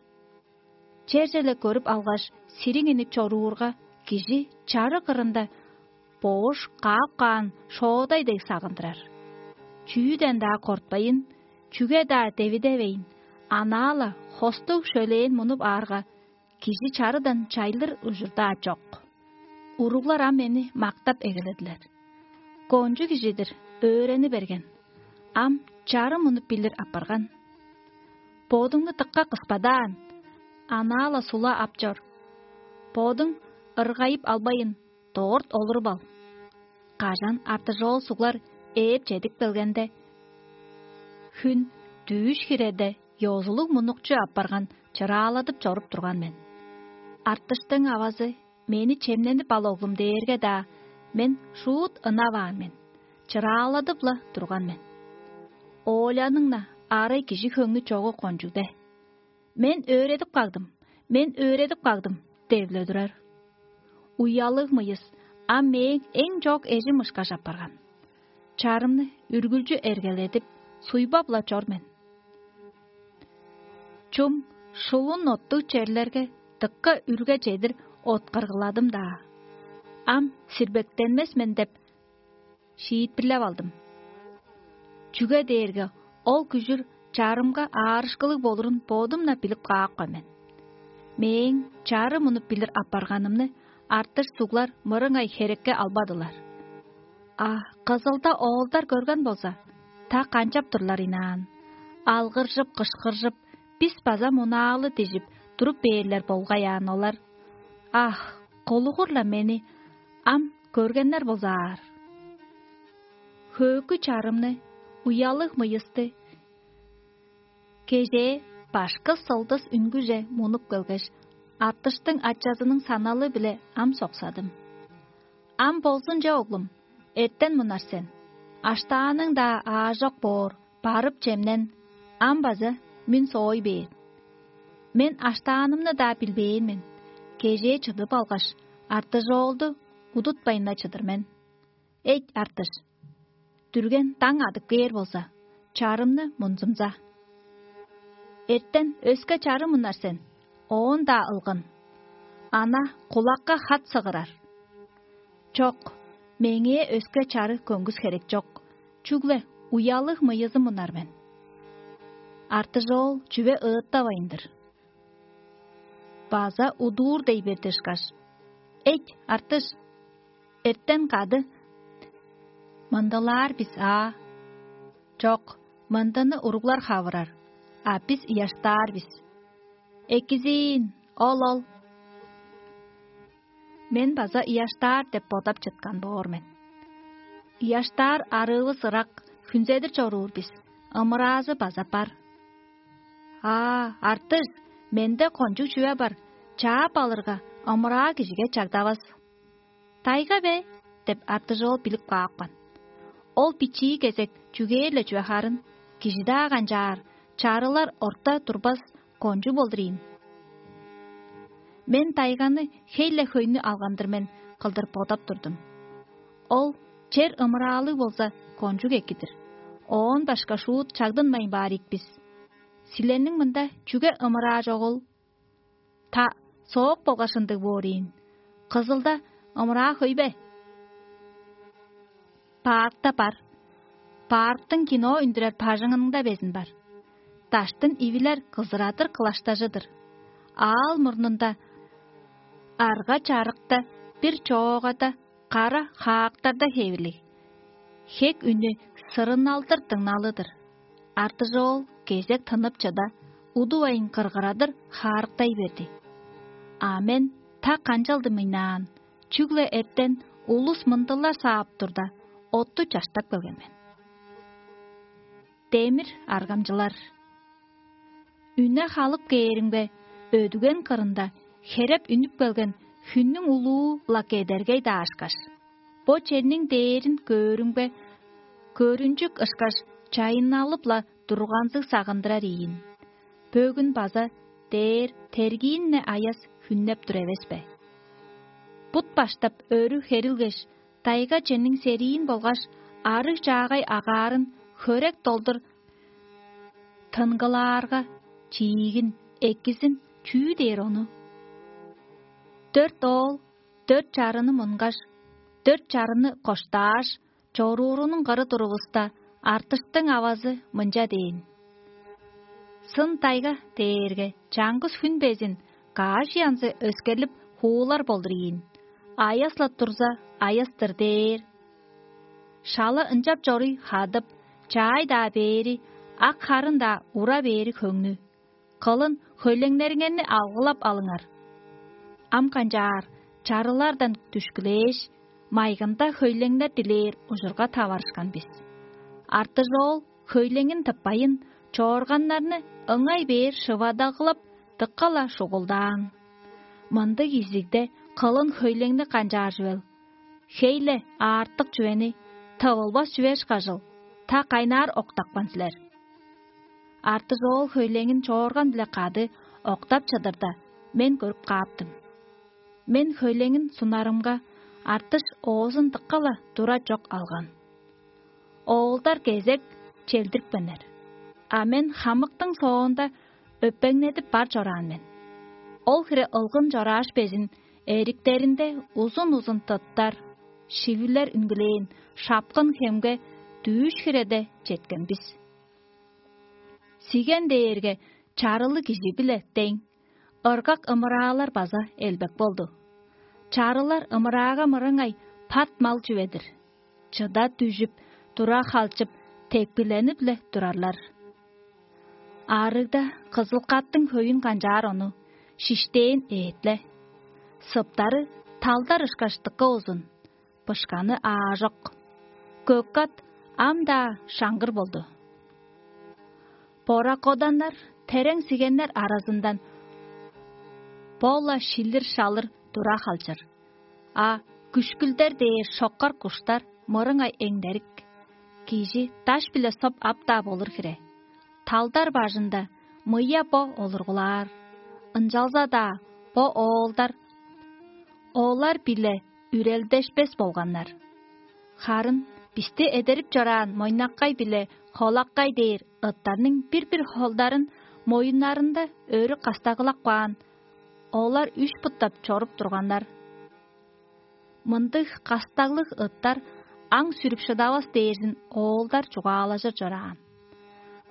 черже-ле көрүп алгаш, сириңинип чоруурга, кижи чары кырында боош каап каан шоодай дег сагындырар. Чүүден-даа кортпайн, чүге-даа девидевейн, анаа-ла хостуг шөлээн мунуп аарга, кижи чарыдан чайлыр ужурдаа чок. Уруглар ам мени мактап эгеледилер. Кончуг кижи-дир, өөрени берген. Ам чары мунуп билир апарган. Бодуңну дыкка кыспадаан, анаа-ла сула ап чор. Бодуң ыргайып албайын, дорт олуруп ал. Кажан артыжоол суглар ээп чедип келгенде, хүн дүүш хиреде ёзулуг мунукчу апарган чырааладып чоруп турган мен. Артыштың авазы мени чемненип ал, оглум дээрге-даа, мен шуут ынаваан мен, чырааладып-ла турган мен. Оолянның-на арай кижи хөңнү чогу кончугде: «Мен өөредип кагдым, мен өөредип кагдым» – деп-ле турар. Уялыг мыйыс ам мээң эң чоок эжим ышкаш апарган. Чарымны үргүлчү эргеледип, суйбап-ла чор мен. Чум шулун оттуг черлерге дыкка үрге чедир откаргыладым-даа. Ам сирбектенмес мен деп шиитпирлеп алдым. Чүге дээрге ол күжүр чарымга аарышкылыг болурун бодум-на билип каапкан мен. Мээң чары мунуп билир апарганымны артыш суглар мырыңай херекке албадылар. А кызылда оолдар көрген болза, та канчап турлар ыйнаан? Алгыржып-кышкыржып, бис база мунаалы дижип туруп бээрлер болгай аан олар. Ах, кулугур-ла мени ам көргеннер болзаар. Хөөкү чарымны, уялыг мыйысты кежээ башкы сылдыс үнгүже мунуп келгеш, артыштың ачазының саналы-биле ам соксадым. Ам болзунче, оглум, эртен мунар сен. Аштааның-даа аажок боор, барып чемнен, ам база мин соой бээр. Мен аштаанымны-даа билбээн мен. Кежээ чыдып алгаш, артыжоолду удутпайн-на чыдыр мен. Эйт, артыш, дүрген даң адып кээр болза, чарымны мунзумза. Эртен өске чары мунар сен, оон-даа ылгын. Ана кулакка хат сыгырар. Чок, меңээ өске чары көңгүс херек чок, чүгле уялыг мыйызы мунар мен. Артыжоол чүве ыыттавайн-дыр. База удуур дей берди ышкаш: «Эйт, артыш, эртен кады мындылаар бис аа? Чок, мындыны уруглар хавырар, а бис ыяштаар бис. Экизиин, ол-ол». Мен база ыяштаар деп бодап чыткан боор мен. Ыяштаар арыывыс ырак, хүнзедир чоруур бис, ымыраазы база бар. Аа, артыш, менде кончуг чүве бар, чаап алырга, ымыраа кижиге чагдавас. «Тайга бе?» – деп артыжоол билип каапкан. Ол бичии кезек чүгээр-ле чүве харын, кижи-даа канчаар, чарылар орта турбас кончуг болдур ийин. Мен тайганы хей-ле хөйнү алган-дыр мен кылдыр бодап турдум. Ол чер ымыраалыг болза, кончуг эки-дир. Оон башка шуут чагдынмайн баар ийик бис. Силерниң мында чүге ымыраа чогул? Та соок болгаш ындыг боор ийин. Кызылда ымыраа хөй бе? Паркта бар. Парктың кино үндүрер бажыңында безин бар. Даштын ивилер кызырадыр кылаштажы-дыр. Аал мурнунда арга чарыкта бир чоогада кара хаактарда хевирлиг. Хек үнү сырыналдыр дыңналы-дыр. Артыжоол кезек тынып чыда, удувайн кыргырадыр хаарыктай берди. А мен та канчалдым ыйнаан, чүгле эртен улус мындылар саап турда, отту чаштап келген мен. Демир аргамчылар. Үне халып кээримге, өдүген кырында хереп үнүп келген хүннүң улуу-ла кедергей-даа ышкаш. Бо черниң дээрин көөрүмге, көрүнчүк ышкаш чайынналып-ла турганзыг сагындырар ийин. Бөгүн база дээр тергиин-не аяс хүннеп тур эвес бе? Бут баштап өрү херилгеш, тайга чемниң сериин болгаш арыг чаагай агаарын хөрек долдур тынгылаарга, чиигин, экизин чүү дээр ону? Дөрт оол дөрт чарыны мунгаш, Дөрт чарыны коштааш, чоруурунуң кыры турувуста, артыштың авазы мынча дээн: «Сын тайга дээрге чаңгыс хүн безин каш янзы өскерлип хуулар болдур ийин, аяс-ла турза, аяс-тыр» дээр. Шала ынчап чоруй хадып, чаай-даа бээри, ак харын-даа ура бээри хөңнү. Кылын хөйлеңнериңерни алгылап алыңар. Ам канчаар чарылардан дүшкүлээш, майгында хөйлеңнер дилээр ужурга таварышкан бис. Артыжоол хөйлеңин тыппайын, чоорганнарны ыңай бээр шывадагылап, дыка-ла шугулдаан. Мындыг изигде кылын хөйлеңни канчаар чүвел? Хей-ле аартык чүвени тывылбас чүве ышкажыл, та кайнаар октапкан силер. Артыжоол хөйлеңин чоорган-биле кады октап чыдырда, мен көрүп кааптым. Мен хөйлеңин сунарымга, артыш оозун дыка-ла тура чок алган. Оолдар кезек челдирипкеннер, а мен хамыктың соонда өпеңнедип бар чораан мен. Ол хире ылгын чорааш безин, эриктеринде узун-узун тыттар, шивилер үнгүлээн шапкын хемге дүүш хиреде четкен бис. Сиген дээрге чарылыг кижи-биле дең, ыргак ымыраалар база элбек болду. Чарылар ымыраага мырыңай пат мал чүве-дир. Чыда дүжүп, тура халчып, тепкиленип-ле турарлар. Аарыгда кызыл-каттың хөйүн канчаар ону, шиштээн эът-ле. Сыптары талдар ышкаш дыка узун, бышканы аажок. Көк-кат ам-даа шаңгыр болду. Бора-коданнар, терең сигеннер аразындан бо-ла шилир-шалыр тура халчыр, а күшкүлдер дээр шоккар куштар мырыңай эңдерик. Кижи даш-биле соп ап-даа болур хире. Талдар бажында мыя бо олургулаар, ынчалза-даа бо оолдар олар-биле үрелдешпес болганнар. Харын бисти эдерип чораан мойнаккай биле холаккай дээр ыттарның бир-бир холдарын моюннарында өрү кастагылап каан, олар үш буттап чоруп турганнар. Мындыг кастаглыг ыттар аң сүрүп шыдавас дээрзин оолдар чугаалажыр чораан.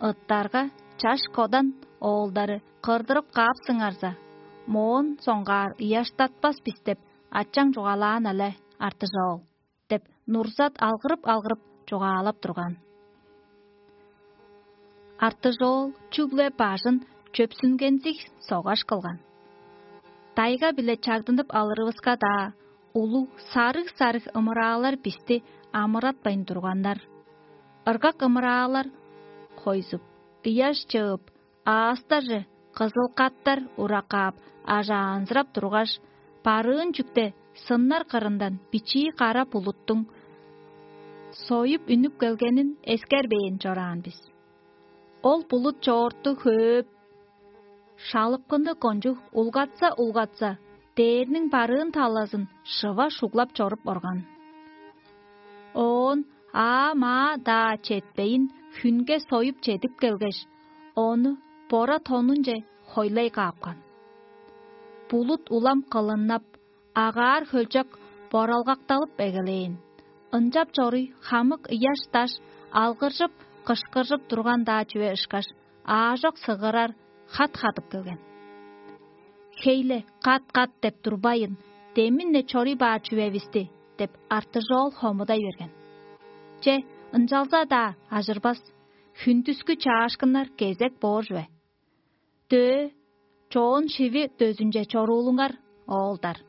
Ыттарга чаш кодан оолдары кырдырып каапсыңарза, моон соңгаар ыяштатпас бис деп ачаң чугаалаан але, Артыжоол, — деп Нурзат алгырып-алгырып чугаалап турган. Артыжоол чүгле бажын чөпсүнгензиг согаш кылган. Дайга-биле чагдынып алырывыска-даа, улуг сарыг-сарыг ымыраалар бисти амыратпайн турганнар. Ыргак ымыраалар хойзуп, ыяш чыып, аастаже кызыл каттар ураккаап, ажаанзырап тургаш, барыын чүкте сыннар кырындан бичии кара булуттуң союп үнүп келгенин эскербээн чораан бис. Ол булут чоорту хөөп, шалыпкынныг кончуг улгатса-улгатса, дээрниң барыын талазын шыва шуглап чоруп орган. Оон аа-маа-даа четпейн, хүнге союп чедип келгеш, ону бора тонунче хойлай каапкан. Булут улам кылыннап, агаар хөлчок боралгакталып эгелээн. Ынчап чоруй, хамык ыяш-даш алгыржып, кышкыржып турган-даа чүве ышкаш, аажок сыгырар хат хадып келген. «Хей-ле, кат-кат деп турбайын, демин-не чоруй баар чүвевисти» — деп Артыжоол хомудай берген. Че, ынчалза-даа ажырбас, хүндүскү чаашкыннар кезек боор чүве. Дөө, чоон шиви дөзүнче чоруулуңар, оолдар.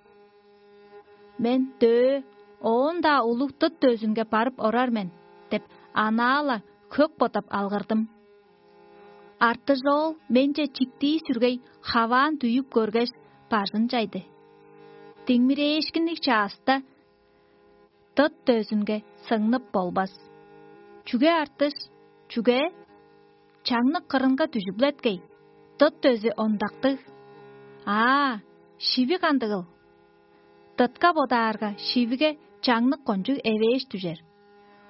Мен дөө, оон-даа улуг дыт дөзүнге барып орар мен деп, анаа-ла хөк бодап алгырдым. Артыжоол менче чиктии сүргей хаваан дүйүп көргеш, бажын чайды. Диңмирээшкинниг чааста дыт дөзүнге сыңнып болбас. Чүге артыш? Чүге? Чаңнык кырынга дүжүглеткей, дыт дөзү ондактыг. Аа, шиви кандыгыл? Дытка бодаарга, шивиге чаңнык кончуг эвээш дүжер.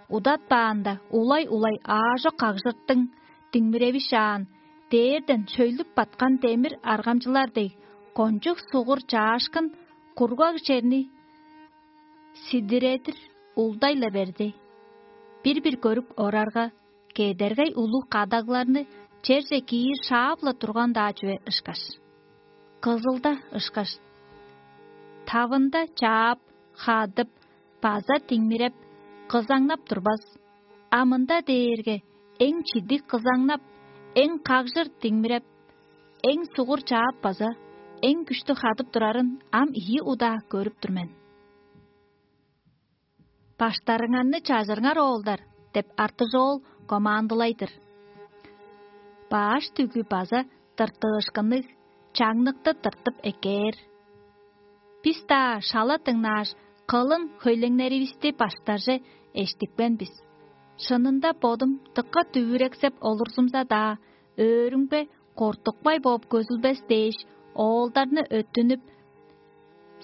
Удатпаанда, улай-улай аажок кагжыртың диңмиревишаан, дээрден шөйлүп баткан демир аргамчылар дег, кончуг сугур чаашкын кургаг черни Сидиредир улдай-ла берди. Бир-бир көрүп орарга, кедергей улуг кадагларны черже киир шаап-ла турган-даа чүве ышкаш. Кызылда ышкаш. Тавында чаап, хадып, база диңмиреп, кызаңнап турбас. А мында дээрге эң чидиг кызаңнап, эң кагжыр диңмиреп, эң сугур чаап база эң күштү хадып турарын ам ийи удаа көрүп тур мен. «Баштарыңарны чажырыңар, оолдар!» — деп артыжоол командылай-дыр. Баш дүгү база тыртыышкынныг, чаңныкты тыртып эккээр. Бис-даа шала дыңнааш, кылын хөйлеңнеривисти баштарже эштипкен бис. Шынында бодум дыка дүвүрексеп олурзумза-даа, өөрүмге кортукпай бооп көзүлбес дээш, оолдарны өттүнүп,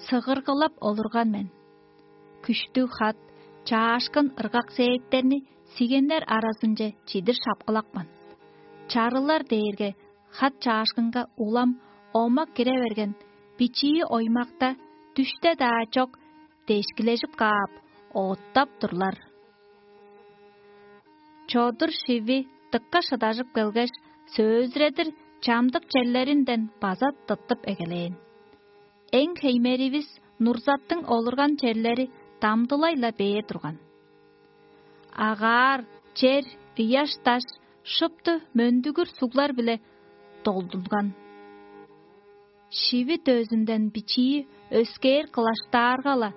сыгыргылап олурган мен. Күштүг хат, чаашкын ыргак-сеэттерни сигеннер аразынче чидир шапкылапкан. Чарылар дээрге хат чаашкынга улам омак кире берген, бичии оймакта дүште-даа чок дешкилежип каап, оттап турлар. Чодур шиви дыкка шыдажып келгеш, сөөлзүредир чамдык черлеринден база тыттып эгелээн. Эң хеймеривис Нурзаттың олурган черлери дамдылай-ла бээр турган. Агаар, чер, ыяш-даш шупту мөндүгүр суглар-биле долдунган. Шиви дөзүнден бичии өскээр кылаштаарга-ла,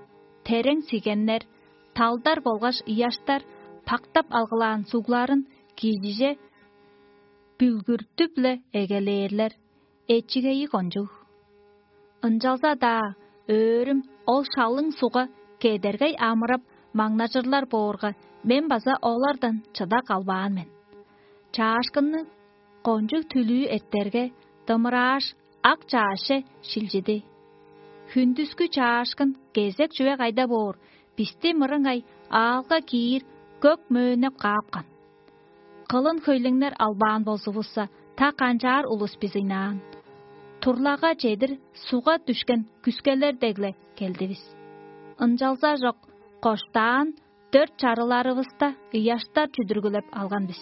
терең сигеннер, талдар болгаш ыяштар пактап алгылаан сугларын кижиже бүлгүртүп-ле эгелээрлер, эчигейи кончуг. Ынчалза-даа өөрүм ол шалың сугга кедергей амырап, маңнажырлар боорга, мен база олардан чыда калбаан мен. Чаашкынны кончуг түлүү эртерге, дымырааш, ак чаъсче шилчиди. Хүндүскү чаашкын кезек чүве кайда боор, бисти мырыңай аалга киир көк мөөннеп каапкан. Кылын хөйлеңнер албаан болзувусса, та канчаар улус бис ыйнаан. Турлага чедир сугга дүшкен күскелер дег-ле келдивис. Ынчалза чок, коштаан дөрт чарыларывыста ыяштар чүдүргүлеп алган бис.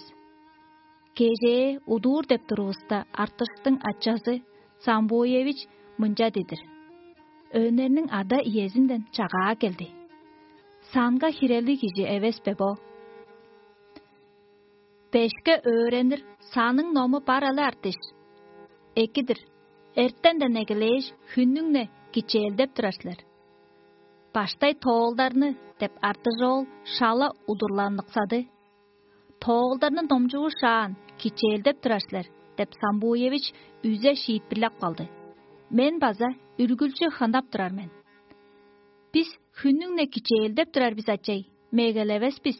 Кежээ удуур деп турувуста, артыштың ачазы Самбуевич мынча дидир: «Өнерниң ада-иезинден чагаа келди. Санга хирелиг кижи эвес бе бо?» «Бешке өөренир саның ному бар але, артыш. Экидир, эртенден эгелээш, хүннүң-не кичээлдеп турар силер. Баштай тоолдарны» — деп, артыжоол шала удурланыксады. «Тоолдарны номчуушаан, кичээлдеп турар силер» — деп, Самбуевич үзе шиитпирлеп калды. Мен база үргүлчү хынап турар мен. «Бис хүннүң-не кичээлдеп турар бис, ачай, мегелевес бис».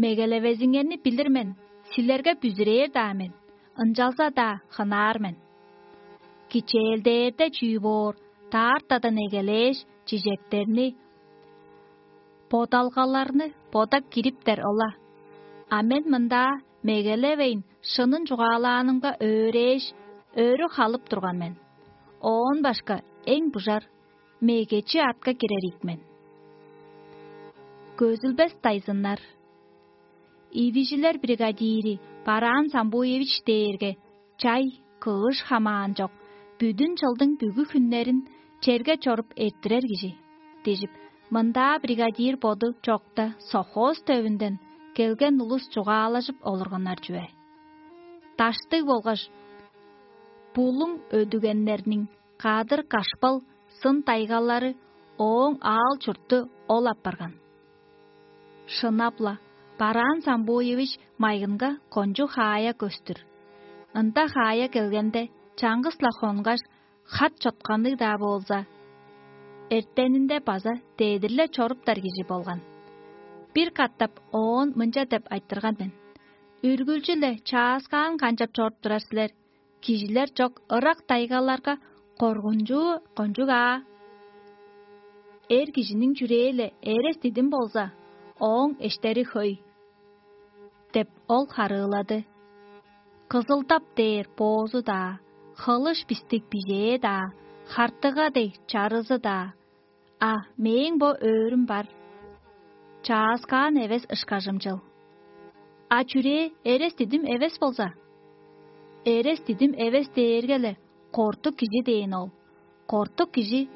«Мегелевезиңерни билир мен, силерге бүзүрээр-даа мен, ынчалза-даа хынаар мен. Кичээлдээрде чүү боор, даартадан эгелээш, чижектерни, бодалгаларны бодап кириптер ол-ла. А мен мында мегелевейн, шынын чугаалаанымга өөрээш, өрү халып турган мен. Оон башка эң бужар мегечи атка кирер ийик мен». Көзүлбес дайзыннар. Ивижилер бригадири Бараан Самбуевич дээрге чай, кыыш хамаан чок, бүдүн чылдың бүгү хүннерин черге чоруп эрттирер кижи дижип, мындаа бригадир боду чокта совхоз төвүнден келген улус чугаалажып олурганнар чүве. Даштыг болгаш булуң өдүгеннерниң кадыр-кашпал сын-тайгалары ооң аал-чурту ол апарган. Шынап-ла, Бараан Самбуевич майгынга кончуг хаая көстүр. Ында хаая келгенде, чаңгыс-ла хонгаш, хат чотканныг-даа болза, эртенинде база дедир-ле чоруптар кижи болган. Бир катап оон мынча деп айтырган мен: «Үргүлчү-ле чааскаан канчап чоруп турар силер? Кижилер чок ырак тайгаларга коргунчуу кончуг аа. Эр кижиниң чүрээ-ле эрес-дидим болза, ооң эштери хөй» — деп, ол харыылады. Кызылдап дээр боозу-даа, хылыш бистиг бижээ-даа, хартыга дег чарызы-даа, А мээң бо өөрүм бар. Чааскаан эвес ышкажымчыл. А чүрээ эрес дидим эвес болза? Эрес дидим эвес дээрге-ле кортук кижи дээн ол. Кортук кижи